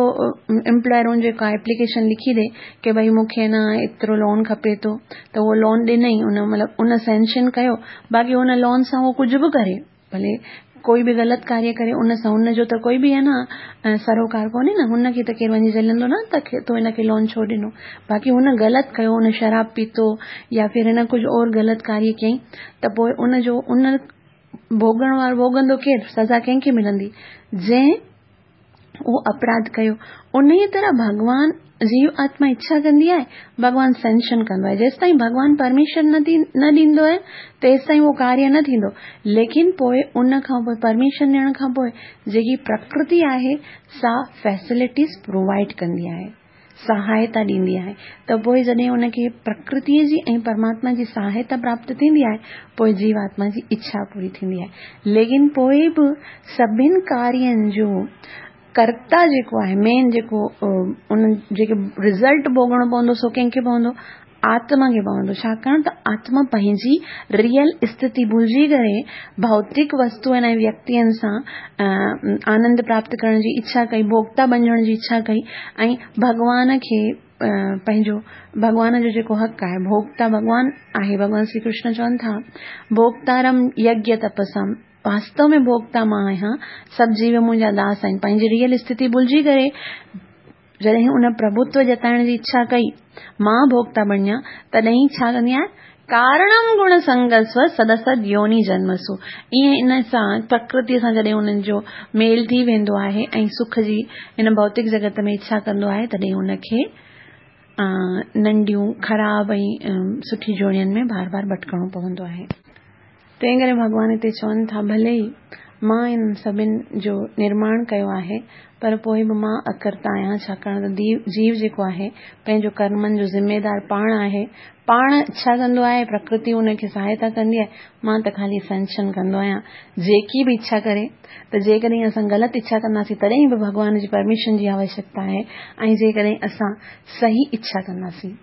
امپلائر ان جي ڪا ايپليڪيشن لکي ڏي ڪي ڀئي مون کي نه ايترو لون کپي ٿو ته اهو لون ڏنئي ان مطلب ان سينڪشن ڪيو باقي ان لون سان هو ڪجهه به ڪري ڀلي ڪوئي به غلط ڪاريه ڪري ان سان ان جو ته ڪوئي به آهي نه سروڪار ڪونهي نه هن کي ته ڪير وڃي جهلندو نه ته تو هن کي لون ڇو ڏنو باقي هن غلط ڪيو هن شراب پيتو يا ڦر هن ڪجهه اور غلط ڪاريه ڪيائين ته پوء ان جو ان ڀوڳڻ وارو ڀوڳندو ڪير سزا ڪنهن کي ملندي جنهن اهو اپراڌ ڪيو. انهيء طرح ڀڳوان جيو آتما اڇا ڪندي آهي، ڀڳوان سينڪشن ڪندو آهي. جيستائين ڀڳوان پرميشن نه ڏيندو آهي، تيستائين اهو ڪاريه نه ٿيندو. ليڪن پوء ان کان پوء پرميشن ڏيڻ کان پوء جيڪي پرڪرتي آهي، سا فيسلٽيز پرووائيڊ ڪندي آهي. سهائتا ڏيندي آهي ته پوء جڏهن ان کي پرڪرتيء جي ۽ پرماتما جي سهائتا پراپت ٿيندي آهي، پوء جيوآتما جي اڇا پوري ٿيندي آهي. ليڪن پوء به سڀن ڪارين جو ڪرتا جيڪو آهي، مين جيڪو ان جيڪي رزلٽ ڀوڳڻو پوندو سو ڪنهن کي پوندو؟ آتما کي پوندو، ڇاڪاڻ ته آتما پنهنجي ريئل اسٿتي ڀلجي ڪري ڀوتڪ وستوئن ۽ ويڪتين سان آنند پراپت ڪرڻ جي اڇا ڪئي، ڀوڳتا بنجڻ جي اڇا ڪئي ۽ ڀڳوان کي پنهنجو ڀڳوان جو جيڪو حق آهي، ڀوڳتا ڀڳوان آهي، ڀڳوان شري ڪرشن چون ٿا، ڀوڳتارم يگيه تپسام، واستو ۾ ڀوڳتا مان آهيان، سڀ جيو منهنجا داس آهن، پنهنجي ريئل اسٿتي ڀلجي ڪري جڏهن ان پرڀوتو جتائڻ جي اڇا ڪئي، مان ڀوڳتا بڻيان، تڏهن ڇا ڪندي آهيان؟ ڪارڻم گڻ سنگسو سدسد يوني جنمسو. ائين ان سان پرڪرتيء سان جڏهن انهن جو ميل ٿي ويندو آهي ۽ سک جي هن ڀوتڪ جڳت ۾ اڇا ڪندو آهي، تڏهن ان کي ننڍيون خراب ۽ سٺي جوڙين ۾ بار بار ڀٽڪڻو پوندو آهي. تنهن ڪري ڀڳوان هتي چون ٿا، ڀلي ئي مان انهن سڀن جو نرماڻ ڪيو آهي، پر پوء به مان اڪرتا آهيان، ڇاڪاڻ ته جيو جيڪو آهي، پنهنجو ڪرمن جو ذميدار پاڻ آهي، پاڻ اڇا ڪندو آهي، پرڪرتي ان کي سهائتا ڪندي آهي، مان ته خالي سنڪشن ڪندو آهيان، جيڪي به اڇا ڪري، ته جيڪڏهن اسان غلط اڇا ڪنداسين تڏهن به ڀڳوان جي پرميشن جي آوشيڪتا آهي ۽ جيڪڏهن اسان صحيح اڇا ڪنداسين.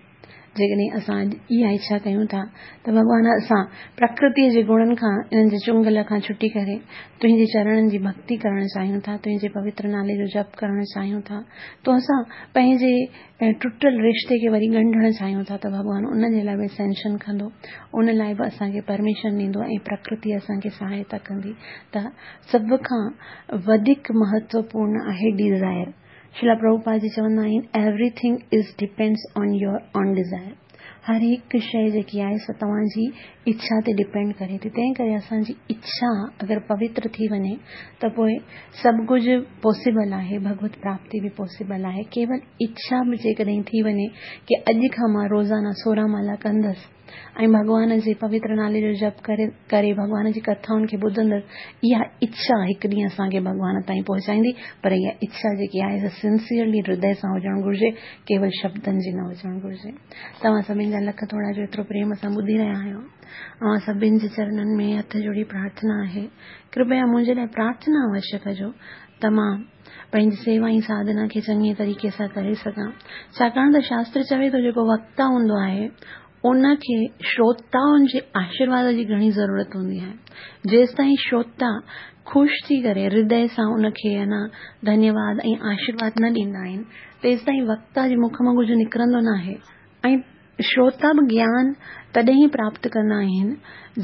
جيڪڏهن اسان اڄ اها اڇا ڪيون ٿا ته ڀڳوان اسان پرڪرتيء جي گڻن کان، انهن جي چنگل کان ڇٽي ڪري تنهنجي چرڻن جي ڀڳتي ڪرڻ چاهيون ٿا، تنهنجي پوتر نالي جو جپ ڪرڻ چاهيون ٿا، تو سان پنهنجي ٽٽل رشتي کي وري ڳنڍڻ چاهيون ٿا ته ڀڳوان ان جي لاء به سينڪشن ڪندو، ان لاء به اسان کي پرميشن ڏيندو ۽ پرڪرتي اسان کي سهائتا ڪندي ته سڀ کان وڌيڪ مهتوپورڻ آهي ڊيزائر. شريلا پرڀوپاد جي چوندا آهن everything is depends on your own desire هر هڪ شيء جيڪي آهي سا توهان جي اڇا تي ڊپينڊ ڪري ٿي تنهن ڪري اسان جي اڇا اگر پوتر ٿي وڃي ته پوء سڀ ڪجهه پاسيبل آهي ڀڳوت پراپتي به پاسيبل آهي ڪيول اڇا به جيڪڏهن ٿي وڃي ڪي اڄ کان مان روزانه 16 مالا ڪندس ۽ ڀڳوان جي پوتر نالي جو جپ ڪري ڪري ڀڳوان جي ڪٿائن کي ٻڌندس، اها اڇا هڪ ڏينهن اسان کي ڀڳوان تائين پهچائيندي، پر اها اڇا جيڪي آهي سا سنسيئرلي هردي سان هجڻ گهرجي، ڪيول شبدن جي نه هجڻ گهرجي. توهان سڀن جا لک ٿورا جو ايترو پريم سان ٻڌي رهيا آهيو. اوهان سڀن جي چرنن ۾ هٿ جوڙي پرارٿنا آهي، ڪرپيا منهنجي لاء پرارٿنا اوشيه ڪجو ته مان پنهنجي سيوا ۽ ساڌنا کي چڱي طريقي سان ڪري سگهان. ڇاڪاڻ ته شاستر چوي ٿو جيڪو وڪتا هوندو آهي ان کي شروتائن جي آشيرواد جي گهڻي ضرورت هوندي آهي. جيستائين شروتا خوش ٿي ڪري هردي سان ان کي انا ڌنيواد ۽ آشيرواد نه ڏيندا آهن تيستائين وڪتا جي مک مان ڪجهه نڪرندو ناهي ۽ شروتا به گيان تڏهن ئي پراپت ڪندا آهن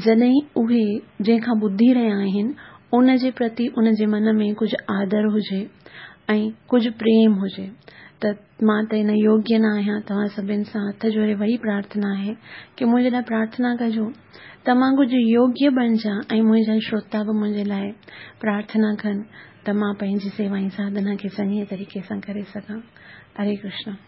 جڏهن اهي جنهن کان ٻڌي رهيا آهن ان جي پرتي ان جي من ۾ ڪجهه آدر هجي ۽ ڪجهه پريم هجي ته مان ته ان يوگيه نه آهيان، توهان سڀن سان هٿ جوڙي وري پرارٿنا آهي ڪي منهنجي لاء پرارٿنا ڪجو ته مان ڪجهه يوگيه بڻجان ۽ منهنجا شروتا به منهنجي لاء پرارٿنا ڪن ته مان پنهنجي سيوا ۽ ساڌنا کي چڱي طريقي سان ڪري سگهان. هري ڪرشنا.